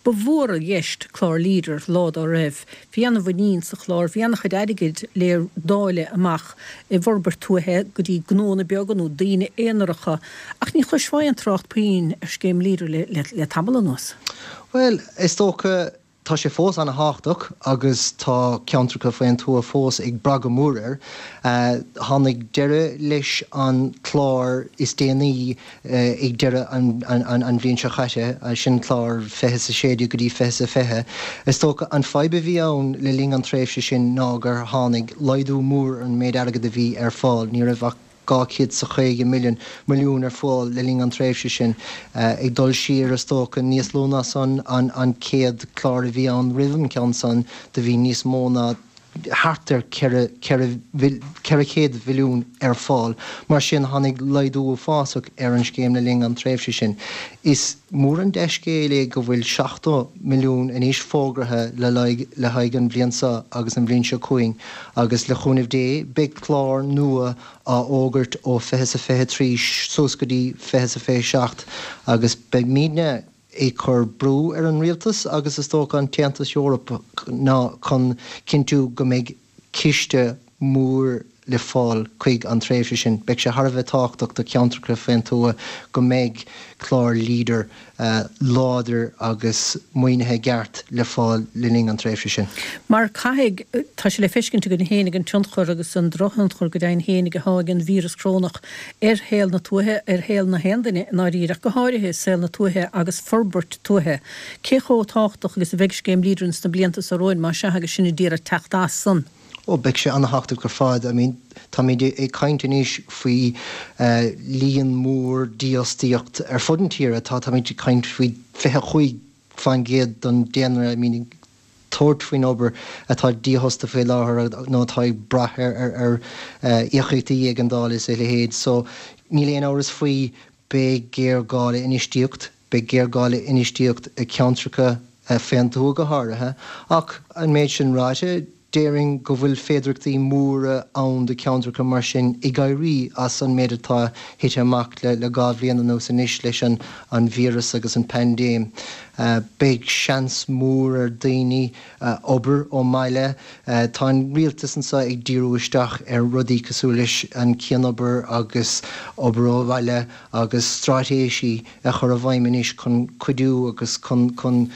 Ba mhór i gceist clár Leader lá dá raibh. Bhí ana-mhuinín sa chlár, bhí ana-chuid airgid le dáileadh amach i bhforbairt tuaithe go dtí gnónna beaga nó daoine aonaracha ach ní chloisfeá aon trácht puinn ar scéim Leader le, le, le tamall anuas. Bhuel, is dócha tá sé fós ana-thábhachtach agus tá ceantracha faoin tuath fós ag brath go mór air. Tháinig deireadh leis an clár is déanaí ag deireadh an, an, an, an bhliain seo chaite, sin clár fiche is a sé déag go dtí fiche is a fiche. Is dócha an fadhb a bhí ann le linn an tréimhse sin ná gur tháinig laghdú mór ar an méid airgead a bhí ar fáil. Ní raibh ach dhá chéad is a caoga milliún milliún ar fáil le linn an tréimhse sin. Ag dul siar is dócha níos lú ná san an an chéad clár a bhí ann roimh an ceann san do bhí níos mó ná thart ar ceithre ceithre ceithre chéad mhilliún ar fáil. Mar sin tháinig laghdú uafásach ar an scéim le linn an tréimhse sin. Is mór an dea-scéal é go bhfuil seachtó milliún anois fógartha le le haghaidh an bhliain seo agus an bhliain seo chugainn agus le cúnamh Dé beidh clár nua á fhógairt ó fiche is a fiche trí suas go dtí fiche is a fiche seacht agus beimidne ag cur brú ar an rialtas agus is dócha an tAontas Eorpach ná chun cinntiú go mbeidh ciste mór le fáil chuig an tréimhse sin. Beidh sé thar a bheith tábhachtach do cheantracha faoin tuath go mbeidh clár Leader láidir agus maoinithe i gceart le fáil le linn an tréimhse sin. Mar caithfidh, tá sé le feiscint againn féinig an tionchar agus an drochthionchar go deimhin féinig atá ag an víreas corónach ar shaol na tuaithe, ar shaol na haon duine i ndáiríre, ach go háirithe saol na tuaithe agus forbairt tuaithe. Cé chomh tábhachtach agus a bheidh scéim Leader ins na blianta seo romhainn, más ea, agus sinn ag iarraidh teacht as san? Ó, beidh sé ana-thábhachtach ar fad. I mean, táimid ag caint anois faoi líon mór dífhostaíocht ar fud an tíre. Tá, táimid ag caint faoi fiche cúig faoin gcéad den daonra, I mean, ag tabhairt faoin obair atá dífhostaithe faoi láthair nó atá ag brath ar, ar, ar íocaíochtaí éigeandála is a leithéid. So, níl aon amhras faoi, beidh géarghá le infheistíocht, beidh géarghá le infheistíocht i gceantracha faoin tuath go háirithe. Ach an méid sin ráite, déarfainn go bhfuil féidearthachtaí móra ann do cheantracha mar sin ag éirí as an méid atá tite amach le le dhá bhliain anuas anois leis an an víreas agus an paindéim. Beidh seans mór ar daoine obair ón mbaile. Tá an rialtas anseo ag díriú isteach ar rudaí cosúil leis an cianobair agus obair ó bhaile agus straitéisí a chur i bhfeidhm anois chun cuidiú agus chun chun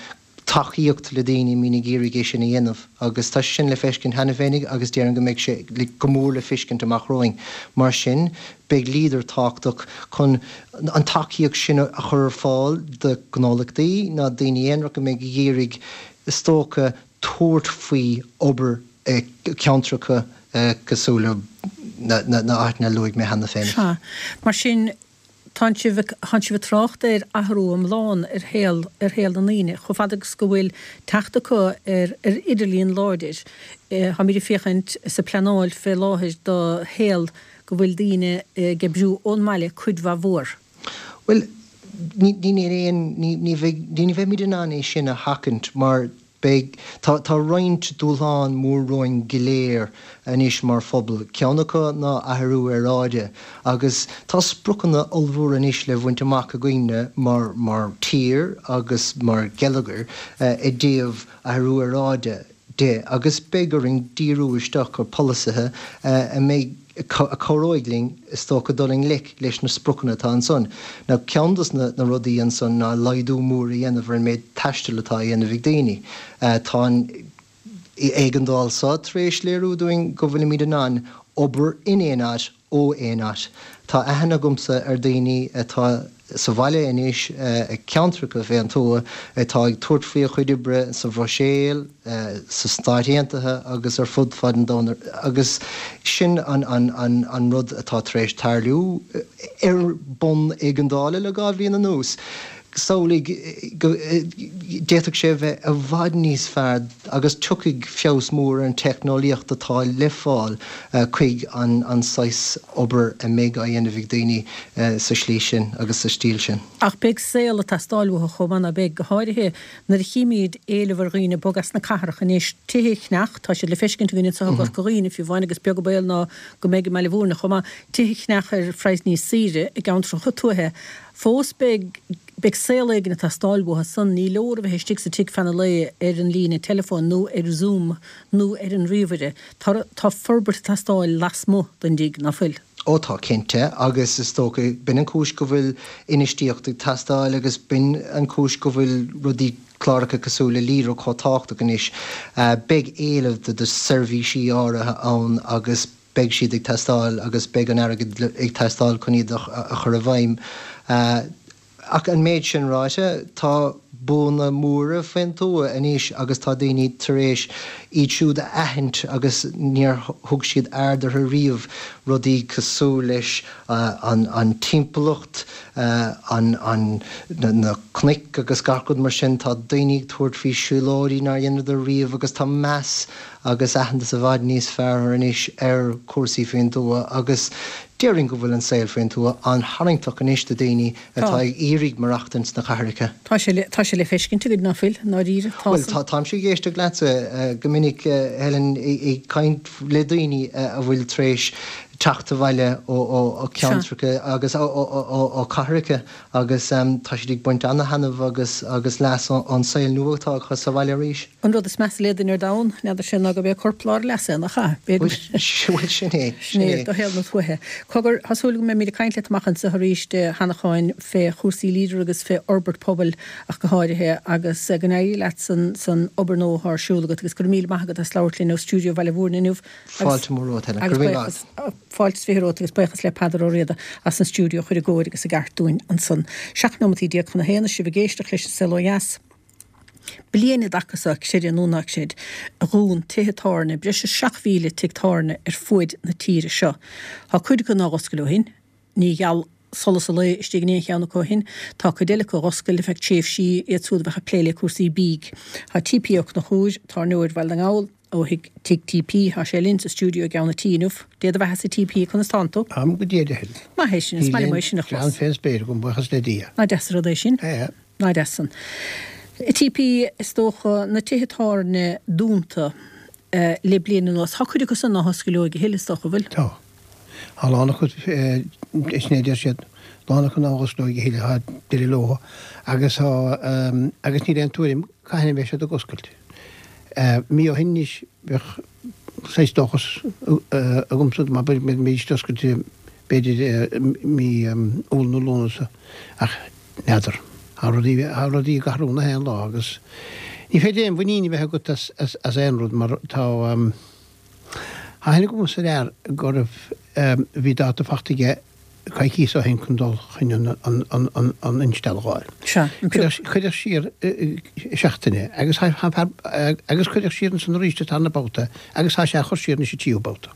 tacaíocht le daoine a mbíonn ag iarraidh é sin a dhéanamh agus tá sé sin le feiscint cheana féinig agus déarfainn go mbeidh sé go mór le feiscint amach romhainn. Mar sin, beidh Leader tábhachtach chun an tacaíocht sin a chur ar fáil do ghnólachtaí ná daoine aonaracha a mbeidh ag iarraidh, is dócha, tabhairt faoi obair i gceantracha cosúil le na háiteanna a luaigh mé cheana féin. Sea. Mar sin, Tánn sibh ag, tánn sibh ag trácht ar athrú iomlán ar shaol, ar shaol na ndaoine, chomh fada agus go bhfuil teacht acu ar, ar idirlíon láidir. Táimid ag féachaint is ag pleanáil fé láthair do shaol go bhfuil daoine ag oibriú ón mbaile cuid mhaith mhór. Bhuel, ní, ní, níl aon, ní, ní bheidh, ní bheimid in ann é sin a sheachaint mar Beidh, tá, tá roinnt dúshlán mór romhainn go léir anois mar phobal. Ceann acu ná athrú aeráide agus tá spriocanna ollmhóra anois le bhaint amach againne mar, mar tír agus mar gheilleagar i dtaobh athrú aeráide de agus beidh orainn díriú isteach ar pholasaithe a mbeidh, a chabhróidh linn, is dócha, dul i ngleic leis na spriocanna atá ansan. Now, ceann dos na rudaí ansan ná laghdú mór a dhéanamh ar an méid taistil atá á dhéanamh ag daoine. Tá an éigeandáil seo tar éis léiriú dúinn go bhfuilimid in ann obair in aon áit ó aon áit. Tá aithne agamsa ar daoine atá sa bhaile anois, i gceantracha fén tuath, atá ag tabhairt faoi a chuid oibre sa Bhruiséil, sa Stáit Aontaithe agus ar fud fad an domhain agus sin an rud atá tar éis tarlú ar bhonn éigeandála le dhá bhliain anuas. Samhlaigh go d'fhéadfadh sé a bheith i bhfad níos fearr agus tiocfaidh feabhas mór ar an teicneolaíocht atá le fáil chuig an saghas obair a mbeidh á dhéanamh ag daoine sa slí sin agus sa stíl sin. Ach beidh saol ag teastáil uathu chomh maith, ná beidh, go háirithe nuair a chímid éileamh ar dhaoine bogadh as na cathracha anois, tithe a cheannach, tá siad le feiscint againn anseo i gCorca Dhuibhne fiú amháin agus beag an baol ná go mbeidh i mBaile Bhúirne chomh maith, tithe a cheannach ar phraghas níos saoire i gceantracha tuaithe. Fós beidh beidh saol éigin ag teastáil uathu san. Ní leor a bheith istigh sa tigh feadh an lae ar an líne teileafóin nó ar Zoom nó ar an ríomhaire. Tá tá forbairt ag teastáil lasmuigh den dtigh, ná fuil? Ó tá, cinnte, agus is dócha, b'in an chúis go bhfuil infheistíocht ag teastáil agus b'in an chúis go bhfuil rudaí, cláracha cosúil le Leader chomh tábhachtach anois. Beidh éileamh do do seirbhísí áirithe ann agus beidh siad ag teastáil agus beidh an airgead ag teastáil chun iad a chur i bhfeidhm. Ach an méid sin ráite, tá buanna móra faoin tuath anois agus tá daoine tar éis iad siúd a aithint agus níor thug siad aird orthu riamh, rudaí cosúil leis an timpeallacht, an na cnoic agus gach rud mar sin. Tá daoine ag tabhairt faoi siúlóidí nár dheineadar riamh agus tá meas agus aitheantas i bhfad níos fearr anois ar chúrsaí faoin tuath agus déarfainn go bhfuil an saol faoin tuath an-tharraingteach anois do daoine atá ag iarraidh maireachtaint sna cathracha. Tá sé le, tá sé le feiscint againn, ná fuil, i ndáiríre, tá Bhuel, tá, táimse ag éisteacht leatsa go minic, Helen, ag caint le daoine a bhfuil tar éis teacht abhaile ó, ó, ó ceantracha agus ó, ó, ó, ó cathracha agus tá siad ag baint ana-thaitneamh agus, agus leas ón saol nua atá acu sa bhaile arís. An rud is measa le duine ar domhan, n'fheadar sé ná gurb é corp lár a leasa é, nach ea? Bhuel, sin é, sin é do shaol na tuaithe. Cogar, tá súil go mbeimid ag caint leat amach anseo arís a Sheanacháin fé chúrsaí Leader agus fé fhorbairt pobail ach go háirithe agus go n-éirí leat san san obair nua atá ar siúl agat agus go raibh míle maith agat as labhairt linn ó stiúideo Bhaile Bhúirne inniu agus Fáilte mhór romhat, Helen. Go raibh míle maith agat. Fáilte is fiche romhat agus buíochas le Peadar Ó Riada as an stiúideo a chur i gcóir agus i gceart dúinn ansan. Seacht nóimeataí déag chun a haon is sibh ag éisteacht leis an Saol Ó Dheas. Bliain i dtaca seo, creid é nó ná creid, a dhún tithe tábhairne, breis is seacht mhíle tigh tábhairne ar fuaid na tíre seo. Tá cuid acu nár oscail ó shin. Ní gheal solas an lae istigh in aon cheann acu ó shin. Tá cuid eile acu a dh'oscail ar feadh tréimhsí, iad siúd a bheadh ag plé le cúrsaí bídh. Tá T P Ó Conchúir, tábhairneoir Bhaile na nGall, ó thigh Tigh T P, tá sé linn sa stiúideo i gceann an tí inniu. Dé do bheatha-sa T P, conas tánn tú? Táim go diail, a Helen. Maith é sin, is Níl maith liom aon é sin a chlann chlos. fén spéir agam, buíochas le Dia. Nach deas an rud é sin? Ea. Nach deas san. T P, is dócha, na tithe tábhairne dúnta le bliain anuas, tá cuid acu san ná hoscaileoidh a thuilleadh, is dócha, an bhfuil? Tá. Tá a lán acu, sin é a deir siad, a lán acu ná hosclóidh a thuilleadh, tá deireadh leo agus tá, agus níl aon tuairim cathain a bheidh siad ag oscailt. Mí ó shin anois bheadh saghas dóchas agamsa go mbeidís oscailte b'fhéidir mí Iúil nó Lúnasa ach n'fheadar. Tá rudaí, tá rudaí ag athrú na haon lá agus ní féidir aon mhuinín a bheith agat as, as, as aon rud mar tá, tá aithne agamsa ar fhear go raibh, bhí dáta fachta aige coicíos ó shin chun dul chun an, an, an, an, an instealladh a fháil. Sea, an Cuireadh, cuireadh siar seachtain é agus tá an fear, agus cuireadh siar ansan arís an tarna babhta agus tá sé á chur siar anois an tríú babhta.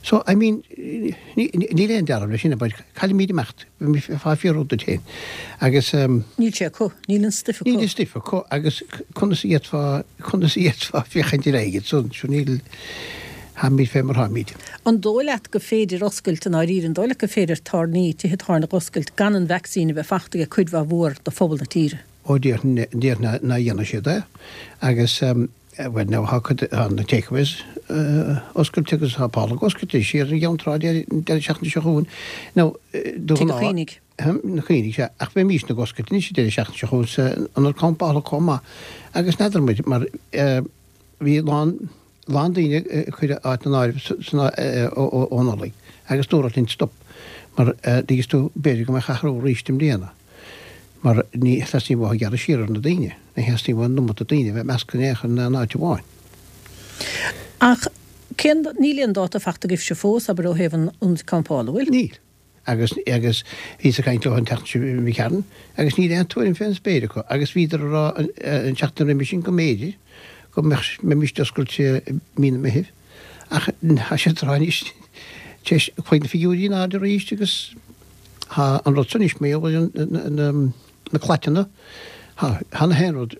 So, I mean, níl aon dealramh leis sin, abair, caillfimid imeacht, fá fiarú duit féin. Agus. Níl sé acu, níl an stuif acu. Níl an stuif acu agus conas a d'fhéadfá, conas a d'fhéadfá féachaint ar aghaidh ansan, sure níl, táimid fé mar táimid. An dóigh leat go féidir oscailt i ndáiríre, an dóigh leat go féidir tábhairní, tithe tábhairne a dh'oscailt gan an vacsaín a bheith fachta ag cuid mhaith mhór de phobal na tíre? Ó déarfainn, déarfainn ná dhéanfaidh siad é agus. Bhuel now tá cuid, tá na takeaways oscailte agus tá Pálac oscailte siar ar an gCeann Trá an deireadh seachtaine seo chugainn. Now do Tigh ghnáth. Chaoinigh. Na Caoinigh, sea. Ach bheimísne ag oscailt anois an deireadh seachtaine seo chugainn san ionad campála chomh maith agus n'fheadar muid mar bhí a lán, lán daoine a cuireadh áit in áirithe san ó Nollaig agus dúradh linn stop mar dtuigeann tú b'fhéidir go mbeadh athrú arís i mbliana. Mar ní theastaíonn uathu gearradh siar ar na daoine, ní theastaíonn uathu an iomarca daoine a bheith measctha in aon chor in áit amháin. Ach cén, níl aon dáta fachta agaibhse fós, abair, ó thaobh an ionaid campála, an bhfuil? Níl. Agus, agus bhíos ag caint leo an tseachtain seo imigh tharainn agus níl aon tuairim fén spéir acu agus bhíodar ag rá an tseachtain roimhe sin go mb'fhéidir go mbeadh, mbeimíst oscailte i mí na Meithimh ach tá siad ag rá anois, tar éis, chuaigh na figiúirí in airde arís agus, Tá an rud san anois mar gheall ar na na claiteanna, thá, thá na haon rud,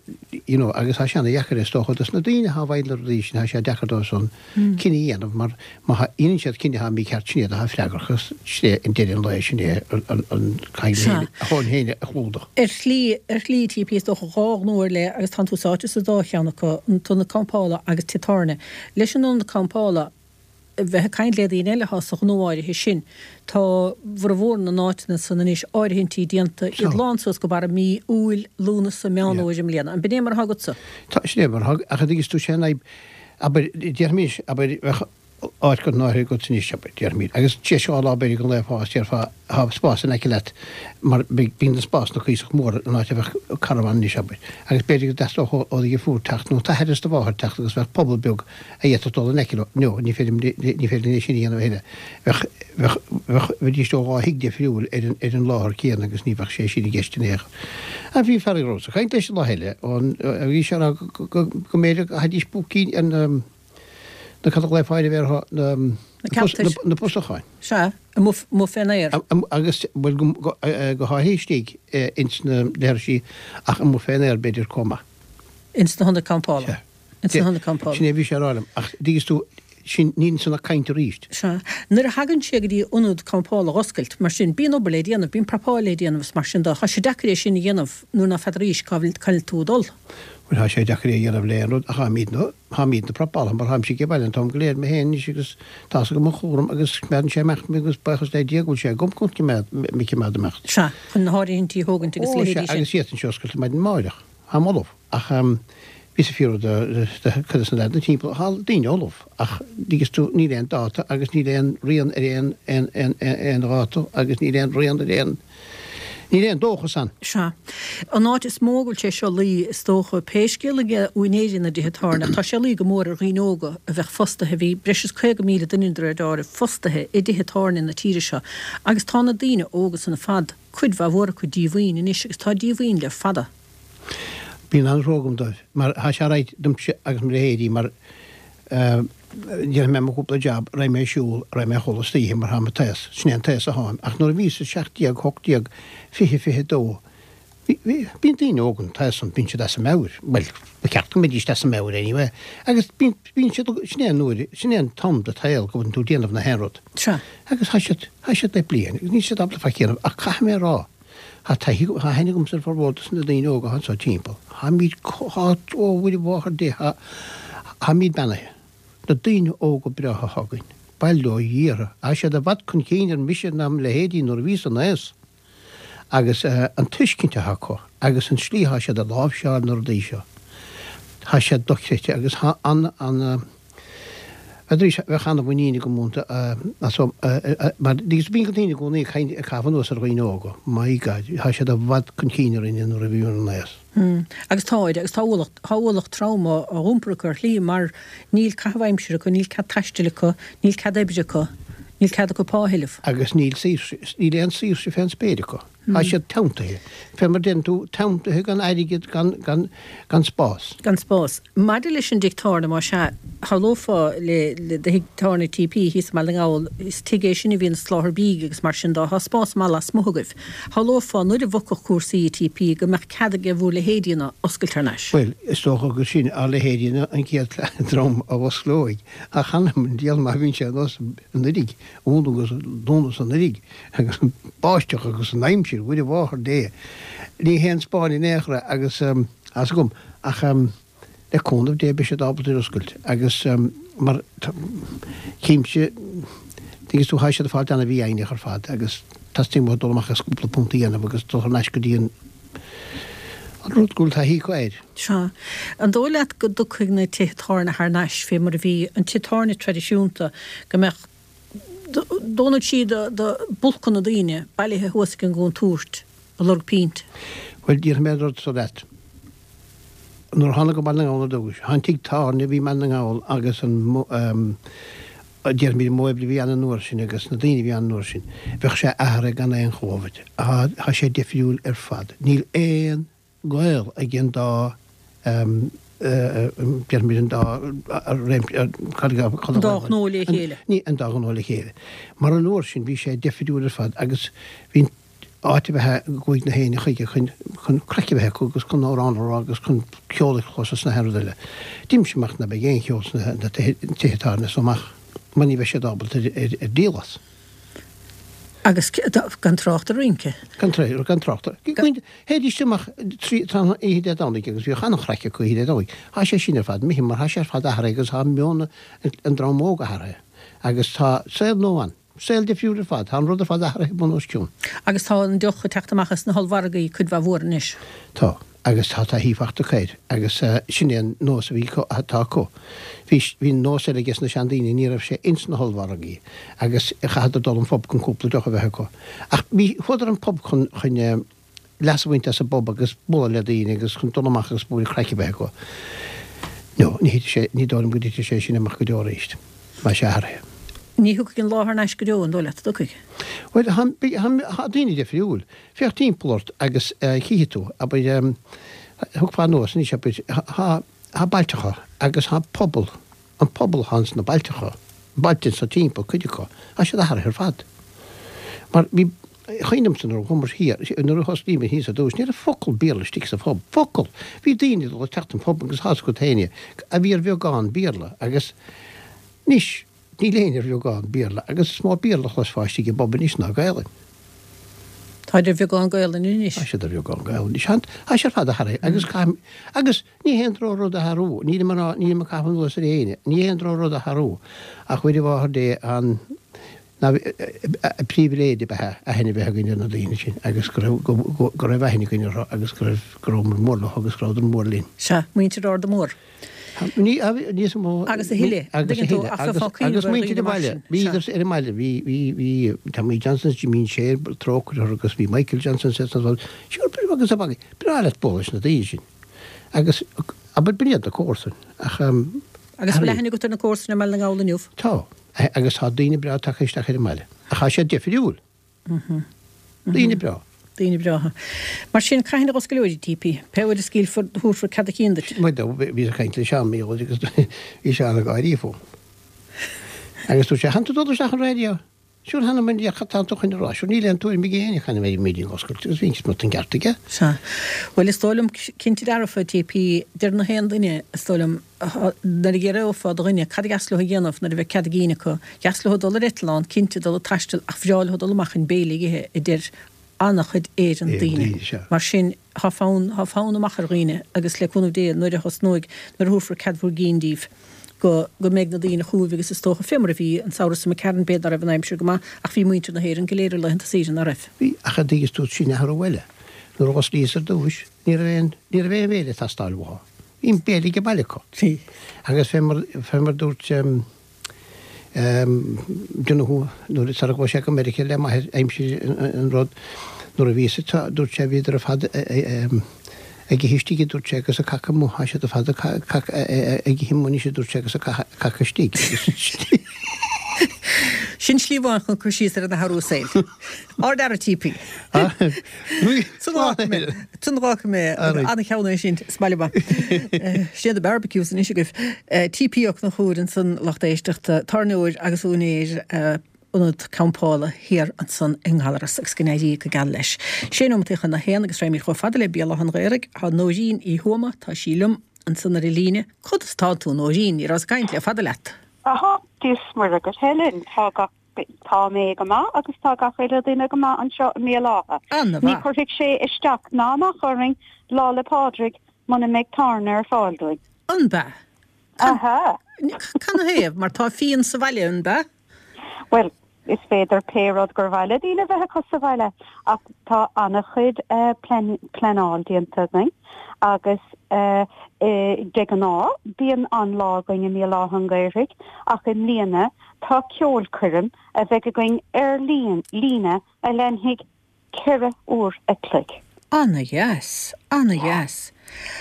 you know, agus thá sé ana dheacair is dócha dos na daoine athá i bhfeighil na rudaí sin, thá sé deacair dóibh san cinneadh a dhéanamh mar má dhéanann siad cinneadh athá mícheart sin iad athá freagrach agus sin é an deireadh an lae, sin é an, an, caithfidh a thóin féin a chlúdach. Ar shlí, ar shlí, TP, is dócha dhá ghnó ar leith agus tánn tú sáite sa dá cheann acu, an t-ionad campála agus tithe tábhairne. Leis an ionad campála, bheith ag caint le daoine eile atá sa ghnó áirithe sin. Tá bhformhór na n-áiteanna san anois áirithintí déanta, iad lán suas go barra mí Iúil, Lúnasa, Meán Fhómhair i mbliana. An b'in é mar atá agatsa? Tá, sin é mar atá, ach an dtuigeann tú, sé an fhadhb, abair, déarfaimis, abair, bheadh áit curtha in áirithe agat anois, abair, déarfaimid, agus tar éis dhá lá b'fhéidir den lá fás, déarfá, tá spás in aice leat, mar bíonn na spásanna cuíosach mór an áit a bheadh carbhán anois, abair, agus b'fhéidir go dteastódh ó do dheirfiúr teacht nó d'athair is do mháthair teacht agus bheadh puball beag a d'fhéadfadh dul in aice leo. No, ní féidir, ní féidir linn é sin a dhéanamh a thuilleadh. Bheadh, bheadh, bheadh, bheidís ó dhá thigh difriúil ar an, ar an láthair céanna agus ní bheadh sé sin i gceist in aon chor. Ach bhí fear a rabhas ag caint leis an lá eile ón, bhí sé ag rá go, go, go mb'fhéidir go gcaithfidís púicín an, na cad a ghlaofá air a bhéarfá na, Na ceantair. na pusacháin. Sea, amuigh, amuigh fén aer. Agus, bhuel, go, go, go háirithe istigh ins na leithrisí ach amuigh fén aer b'fhéidir chomh maith. Ins na hionaid campála. Sea. Ins na hionaid campála. Sin é a bhí sé a rá liom. Ach dtuigeann tú, sin, níl ansan ach caint arís. Sea. Nuair a thagann sé go dtí ionad campála a dh'oscailt, mar sin, bíonn obair le déanamh, bíonn prapáil le déanamh is mar sin de. Tá sé deacair é sin a dhéanamh nuair ná feadraís cá bhfuil, cá bhfuil tú ag dul. Bhuel, tá sé deacair é a dhéanamh le aon rud ach táimidne, táimidne prapálaithe mar táimse ag baile an t-am go léir mé féin anois agus tá's agam an chúram agus coimeádann sé amach mé agus buíochas le Dia go bhfuil sé agam chun coimeád, mé coimeád amach. Sea, chun na háirithintí a thógaint agus Ó, sea, leithéidí sin. agus d'fhéadfainnse oscailt ar maidin amáireach. Táim ullamh ach bhíos ag fiafraí de, de chuid de na leaideanna timpeall, tá daoine ullamh ach dtuigeann tú níl aon dáta agus níl aon rian ar aon, aon, aon, aon dháta agus níl aon rian ar aon, Níl aon dóchas ann. Sea. An áit is mó go bhfuil sé seo luí, is dócha, pé scéal aige úinéirí na dtithe tábhairne, ach tá sé luí go mór ar dhaoine óga a bheadh fostaithe, bhí breis is caoga míle duine de réir dealraimh fostaithe i dtithe tábhairne na tíre seo agus tá na daoine óga san ar fad, cuid mhaith mhór acu, díomhaoin anois agus tá díomhaoin le fada. Bíonn an-trua agam dóibh, mar tá sé alright domsa agus mo leithéidí mar déanfaidh mé mo chúpla jab, raghaidh mé ag siúl, raghaidh mé a chodladh istoíche mar táim an t-aos, sin é an t-aos a tháim. Ach nuair a bhíos a seacht déag, hocht déag, fiche, fiche dó, bhí, bhí, bíonn daoine óga an t-aos san, bíonn siad as a meabhair, bhuel, ba cheart go mbeidís as a meabhair anyway, agus bíonn, bíonn siad, sin é an uair, sin é an t-am de tsaol go bhfuil tú ag déanamh na haon rud. Sea. Agus tá siad, tá siad le bliain agus níl siad ábalta faic a dhéanamh ach caithfidh mé a rá, Tá taithí, tá aithne agamsa ar formhór dos na daoine óga atá anseo timpeall. Táimid, tá, ó Mhuire Mháthair Dé, tá, táimid beannaithe. Na daoine óga breátha atá againn, bail ó Dhia orthu, tá siad i bhfad chun cinn ar mise ná mo leithéidí nuair a bhíos san aos. Agus an tuiscint atá acu agus an slí atá siad ag láimhseáil na rudaí seo, tá sé dochreidte agus tá an, an, Arís, bheadh an-mhuinín agam iontu as mar bíonn daoine i gcónaí ag caint, ag caitheamh anuas ar dhaoine óga. My God, tá siad i bhfad chun cinn orainne nuair a bhíomar in aos. Agus táid, agus tá ualach, tá ualach trom á iompar acu ar shlí mar níl caitheamh aimsire acu, níl cead taistil acu, níl cead oibre acu, níl cead acu pá a thuilleamh. Agus níl saoirse, níl aon saoirse fén spéir acu. Tá siad teanntaithe. Fé mar deireann tú, teanntaithe gan airgead, gan, gan, gan spás. Gan spás. Maidir leis an dtigh tábhairne, más ea, shamhlófá le, le do thigh tábhairne TP thíos i mBaile na nGall, is tigh é sin a bhíonn ag soláthar bídh agus mar sin de, tá spás maith lasmuigh agaibh. Shamhlófá nuair a bhogfadh cúrsaí i TP go mbeadh cead ag bhur leithéidí-na oscailt thar n-ais. Bhuel, is dócha gur sin ár leithéidí-na an chéad dream a osclóidh, ach th'anam 'on diabhal má bhíonn sé anuas anuiridh, ionadh agus dúnadh anuiridh agus an báisteach agus an aimsir, Mhuire Mháthair Dé, ní hé an Spáinn in aon chor é agus tá's agam ach le cúnamh Dé beidh siad ábalta ar oscailt agus mar chímse tuigeann tú tá siad ag fáilt an-mhífhoighneach ar fad agus teastaíonn uathu dul amach agus cúpla punt a dhéanamh agus dul thar n-ais go dtí an an rud go bhfuil taithí acu air. Sea. An dóigh leat go dtiocfaidh na tithe tábhairne thar n-ais fé mar a bhí an tigh tábhairne traidisiúnta, go mbeadh dónal sí do do bulcanna daoine bailithe thuas ag an gcontúirt ag lorg pint? Bhuel, déarfaidh mé an rud so leat. Nuair a thánag go Baile na nGall ar dtúis, an tigh tábhairne a bhí i mBaile na nGall agus an déarfaimid an modh oibre a bhí ann an uair sin agus na daoine a bhí ann an uair sin, bheadh sé athraithe gan aon chomhad. Tá sé difriúil ar fad. Níl aon gaol ag an dá déarfaimid an dá réimse, An dá ghnó le chéile. Ní, an dá ghnó le chéile. Mar an uair sin bhí sé difriúil ar fad agus bhí áit a bheith go gcuaigh na héinne chuige chun chun craic a bheith acu agus chun amhrán a rá agus chun ceol a chlos is na haon rud eile. D'imigh sé amach ná beidh aon cheol sna na tithe tábhairne so amach mar ní bheidh siad ábalta ar ar díol as. Agus gan trácht ar rince. Gan trácht, gan trácht. Théidís amach trí tráthnóna oíche Dé Domhnaigh agus bhíodh an-chraic acu oíche Dé Domhnaigh. Thá sé sin ar fad imithe mar thá sé ar fad athraithe agus thá meon an dream óg athraithe agus tá saol nua ann. Saol difriúil ar fad. Tá an rud ar fad athraithe bun os cionn. Agus tá an deoch ag teacht amach as na hollmhargaí cuid mhaith mhór anois. Tá. Agus tá taithí fachta acu air. Agus sin é an nós a bhí acu, atá acu. Bhí, bhí nós eile ages na seandaoine, ní raibh sé ins na hollmhargaí agus chaitheadar dul an phub chun cúpla deoch a bheith acu. Ach bhí, chuadar an pub chun, chun leas a bhaint as an bpub agus bualadh le daoine agus chun dul amach agus bualadh craic a bheith acu. No, ní thitfidh sé, ní dóigh liom go dtitfidh sé sin amach go deo arís. Tá sé athraithe. Ní thiocfaidh an lá thar n-ais go deo, an dóigh leat, an dtiocfaidh? Bhuel, tá, tá daoine difriúil. Féach timpeall ort agus chífidh tú, abair, thiocfá anuas anois, abair, tá, tá bailteacha agus tá pobal, an pobal atá ins na bailteacha, bailte anso timpeall, cuid acu, tá siad athraithe ar fad. Mar bhí, cuimhin liomsa nuair a chuamar thiar, nuair a thosnaíomar thíos ar dtús, ní raibh focal Béarla istigh sa phub, focal! Bhí daoine ag dul isteach an phub agus tá's agat féin a bhí ar bheagán Béarla agus anois, Níl éinne ar bheagán Béarla agus is mó Béarla a chloisfeá istigh i bpub anois ná Gaelainn. Táid ar bheagán Gaelainne anois. Tá siad ar bheagán Gaelainne anois. Tá sé ar fad athraithe agus caithfidh, agus ní haon drochrud athrú, nílim ag rá, nílim ag caitheamh anuas ar éinne, ní haon drochrud athrú ach Mhuire Mháthair Dé an, ná príbhléid ab ea aithne a bheith againn ar na daoine sin agus go raibh, go, go raibh aithne againn orthu agus go raibh, go rabhamar mór leo agus go rabhadar mór linn. Sea, muintir Arda Mór. Ní, níos mó. Agus a thuilleadh, an Agus a dtuigeann tú, thuilleadh. ach Agus, bheifeá agus cuimhneamh ar muintir dhaoine an mar bhaile. sin. Bhíodar Sea. ar an mbaile. Bhí, bhí, bhí Tommy Johnson, Jimín Shane, trócaire orthu agus bhí Michael Johnson sa, sa, sa, sure, agus a bhagaí. Breá leat bualadh leis na daoine sin. Agus, abair, b'in iad na comharsain. Ach, um, Agus bhfuil athraíodh. aithne agat ar na comharsain i mBaile na nGall inniu? Tá. Agus tá daoine breá tagtha isteach ar an mbaile. Ach tá siad difriúil. Daoine breá. Daoine breátha. Mar sin, cathain a dh'osclóidh TP? Pé uair a scaoilfear, thabharfar cead a chinn duit. Bhuel, bhíos ag caint le Seán Mícheál agus bhí Seán ag gáirí fúm. Agus dúirt sé, Tánn tú dul isteach an raidió? Sure thánn mé, cad tánn tú chun a rá? Sure níl aon tuairim ag éinne cathain a bheidh ag oscailt agus bhí an ceart aige. Sea. Bhuel, is dóigh liom, cinnte dearfa, TP, deir na haon duine, is dóigh liom, nuair a d'fhiafrófá de dhuine cad a dheas leo a dhéanamh nuair a bheidh cead a gcinn acu, dheas leo dul ar eitleán, cinnte, dul ag taisteal ach bhreá leo dul amach chun béile a ithe, a deir an-chuid Éireann daoine. Mar sin, tá fonn, tá fonn amach ar dhaoine agus le cúnamh Dé nuair a thosnóidh, nuair a thabharfar cead bhur gcinn díbh, go, go mbeidh na daoine chugaibh agus is dócha, fé mar a bhí an samhradh seo imigh tharainn, b'fhéidir ná raibh an aimsir go maith ach bhí muintir na hÉireann go léir ar laethanta saoire, ná raibh? Bhí, ach an dtuigeann tú, sin athrú eile. Nuair a dh'osclaíos ar dtúis, ní raibh aon, ní raibh aon bhéile ag teastáil uathu. Bhí an béile ag baile acu. Bhí. Agus fé mar, fé mar dúirt, Donoghue, nuair sara ghabh sé go Meiriceá le m'athair aimsir an rud, nuair a bhíos ag, dúirt sé, bhíodar ar fad ag ithe istigh, a dúirt sé, agus ag cacadh amuigh, tá siad ar fad ag ithe amuigh anois, a dúirt sé, agus ag cacadh istigh. Sin slí amháin chun cur síos ar an athrú saoil. Ard-fhear TP. San fhágfaidh mé an-cheann é sin sa mbaile maith. Sin iad na barbecues anois agaibh. TP Ó Conchúir ansan lucht éisteachta, tábhairneoir agus úinéir ionad campála thiar ansan i nGallaras agus go n-éirí go geal leis. Sé nóimeataí chun a haon agus raghaimid chomh fada le Béal Átha an Ghaorthaidh. Tá Nóirín Uí Thuama, tá sí liom ansan ar an líne. Conas tá tú Nóirín? Ní rabhas ag caint le fada leat. Aha, Dia is Muire dhuit Helen, tá gach tá mé go maith agus tá gach uile duine go maith anseo i mBéal Átha. Ana Ní mhaith. chuirfidh sé isteach ná amach orainn Lá 'le Pádraig muna mbeidh tábhairne ar fáil dúinn. An bea? Aha. Canathaobh? Mar tá fíon sa bhaile, an bea? Bhuel, is féidir pé rud gur mhaith le daoine a bheith acu sa bhaile, ach tá an-chuid pleanáil déanta againn agus de ghnáth bíonn an-lá againn i mBéal Átha an Ghaorthaidh ach i mbliana tá ceolchoirm a bheidh againn ar líne a leanfaidh ceithre uair a chloig. Ana-dheas, ana-dheas.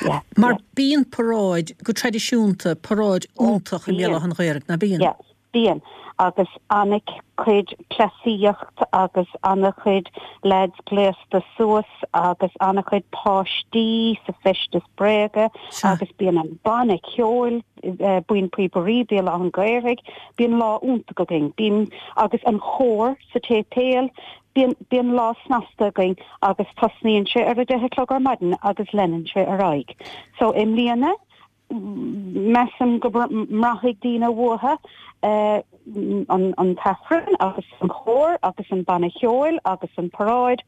Yeah, Mar yeah. bíonn paráid, go traidisiúnta, paráid Ó, iontach i mBéal bíonn. Átha an Ghaorthaidh, ná bíonn? Yeah, bíonn. Agus an-chuid cleasaíocht agus an-chuid leaids gléasta suas agus an-chuid páistí sa feisteas bréige Sea. agus bíonn an banna ceoil, Buíon Píobairí Béal Átha an Ghaorthaidh, bíonn lá iontach againn. Bíonn, agus an chór sa tséipéal, Bíonn bíonn lá snasta againn agus tosnaíonn sé ar a deich a chlog ar maidin agus leanann sé ar aghaidh. So i mbliana measaim go mbraithfidh daoine uathu an an t-aifreann agus an chór agus an banna cheoil agus an paráid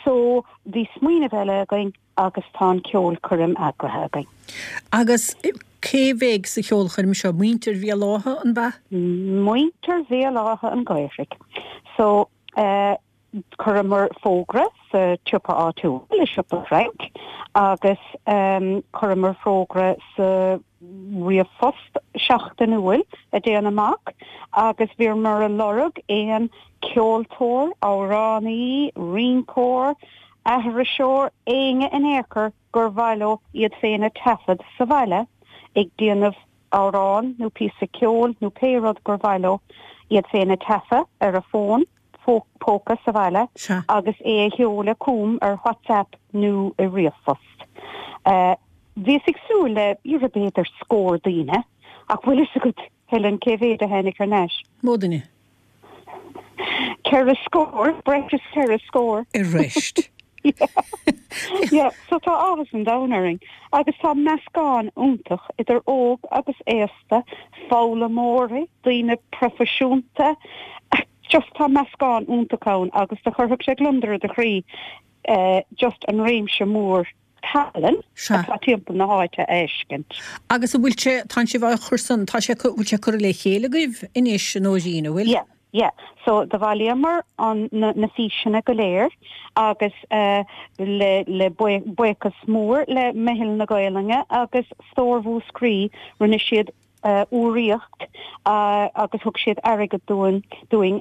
so bhí smaoineamh eile againn agus tá an ceolchoirm eagraithe againn. Agus cé bheidh sa cheolchoirm seo muintir Bhéal Átha an ea? Muintir Bhéal Átha an Ghaorthaidh. So eh, chuireamar fógra sa tsiopa áitiúil, i siopa Frank, agus chuireamar fógra sa ríomhphost seachtainiúil a dtéann amach agus bhíomar ag lorg aon ceoltóir, amhránaí, rinceoir, aithriseoir, éinne in aon chor gur mhaith leo iad féin a taifead sa bhaile ag déanamh amhrán nó píosa ceoil nó pé rud gur mhaith leo iad féin a taifeadh ar a bhfón póca sa bhaile agus é a sheoladh chugam ar WhatsApp nó i ríomhphost. Bhíos ag súil le b'fhéidir scór daoine, ach bhfuil fhios agat, Helen, cé mhéad a tháinig thar n-ais? Mó duine. Ceithre scór, breis is ceithre scór. Arís. Yeah, so tá áthas an domhain orainn agus tá meascán iontach idir óg agus aosta, foghlaimeoirí, daoine proifisiúnta, just tá meascán iontach ann agus do chuirfeadh sé gliondar i do chroí just an réimse mór tallann atá timpeall na háite a fheiscint. Agus an bhfuil sé, tá sibh á chur san, tá sé, bhfuil sé curtha le chéile agaibh anois a Nóirín, an bhfuil? Yeah, yeah. So do bhailíomar an, na, na físeanna go léir agus eh, le, le buíochas mór le Meitheal na Gaelainne agus Stór Mhúscraí, rinne siad urraíocht agus thug siad airgead dúinn dúinn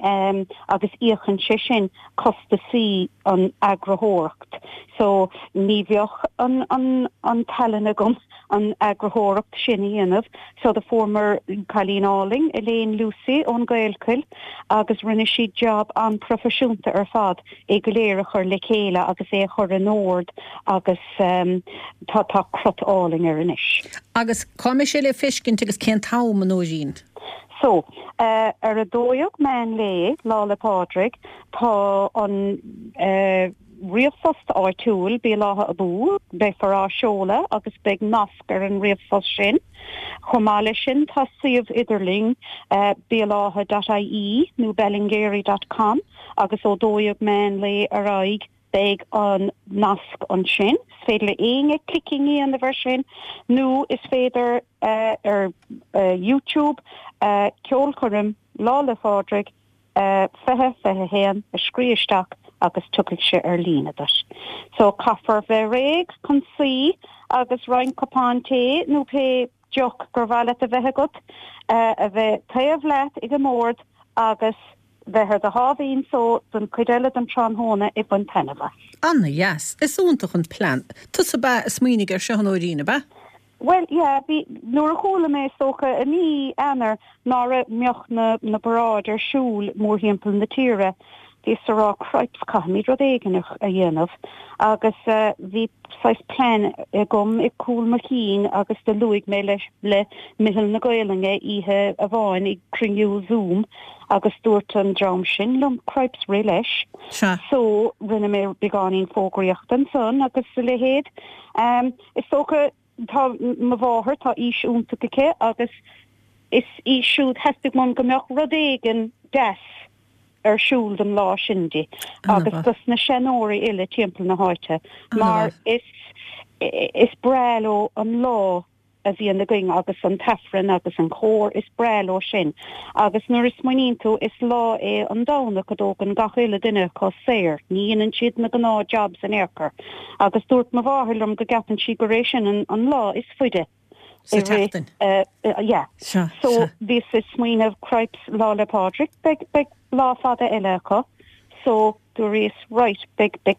agus íocann sé sin costasaí an eagraitheoireacht. So ní bheadh an an an tallann agam an eagraitheoireacht sin a dhéanamh. So do fuaireamar cailín álainn Elaine Lucey ón Gaelchoill agus rinne sí job an-proifisiúnta ar fad é go léir a chur le chéile agus é a chur in ord agus tá tá crot álainn air anois. Agus cá mbeidh sé le feiscint agus cén t-am, a Nóirín? So, ar a dó dhéag meán lae, Lá 'le Pádraig, tá an ríomhphost áitiúil, Béal Átha Abú, beifear á seoladh agus beidh nasc ar an ríomhphost sin. Chomh maith leis sin, tá suíomh idirlín, béalátha dot ie nó ballingeary dot com agus ó dó dhéag meán lae ar aghaidh, Beidh an nasc ansin. Is féidir le éinne clicking a dhéanamh air sin nó is féidir ar YouTube Ceolchoirm Lá 'le Phádraig fiche fiche a haon a scríobh isteach agus tiocfaidh sé ar líne duit. So caithfear bheith réidh chun suí agus roinnt cupán tae nó pé deoch gur mhaith leat a bheith agat a bheith taobh leat ag an mbord agus bheith ar do sháimhín só don chuid eile den tráthnóna ag baint taitneamh as. Ana-dheas. Is iontach an plean. Tusa ab ea a smaoinigh air seo, a Nóirín, ab ea? Bhuel, yeah, bhí, nuair a chuala mé, is dócha, i mí Eanáir ná raibh, mbeadh na, na paráid ar siúl mórthimpeall na tíre, bhíos a rá, cripes, caithfimid rud éigin a dhéanamh. Agus bhí saghas plean agam i gcúl mo chinn agus do luaigh mé leis le Meitheal na Gaolainne oíche amháin ag cruinniú Zoom agus dúirt an dream sin liom cripes rith leis. Sea. So rinne mé beagáinín fógraíochta ansan agus a leithéid. Is dócha tá mo mháthair, tá aois iontach aici agus is í siúd theastaigh uaim go mbeadh rud éigin deas ar siúl don lá sin di agus dos na seanóirí uile timpeall na háite mar is is breá leo an lá a bhíonn againn agus an t-aifreann agus an cór, is breá leo sin. Agus nuair a smaoiníonn tú, is lá é an Domhnach a dtógann gach uile duine acu saor, ní dhéanann siad na gnáth jobs in aon chor. Agus dúirt mo mháthair liom go gceapann sí gur é sin an lá is faide. Sa tseachtain. Yeah. Sea, So sea. bhíos ag smaoineamh, cripes, Lá 'le Pádraig, beidh, beidh lá fada eile acu. So dúraíos, right, beidh, beidh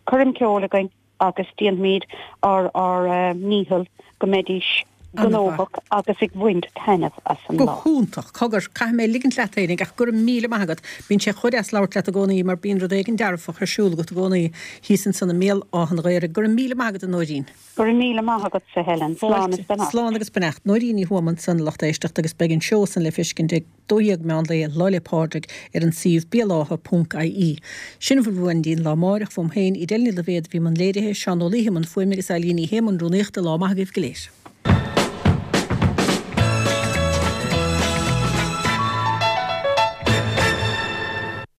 coirm ceoil againn agus déanfaimid ár, ár ndícheall go mbeidís gnóthach agus ag bhaint taitneamh as an Go lá. hiontach. Cogar, caithfidh mé ligint leat fhéinig ach go raibh míle maith agat. Bíonn sé chomh deas labhairt leat i gcónaí mar bíonn rud éigin dearfach ar siúl agat i gcónaí thíos ansan i mBéal Átha an Ghaorthaidh. Go raibh míle maith agat a Nóirín. Go raibh míle maith agatsa Helen. Slán is beannacht. Slán agus beannacht. Nóirín Ní Thuama ansan a lucht éisteachta agus beidh an seó san le feiscint ag dó dhéag meán lae Lá 'le Pádraig ar an suíomh béalátha ponc ie. Sin a bhfuil uainn go dtí an lá amáireach uaim féin, Edel Ní Loibhéad a bhí i mbun léirithe, Seán Ó Laoithe i mbun fuaime agus Eileen Ní Shé i mbun rúnaíochta. Lá maith agaibh go léir.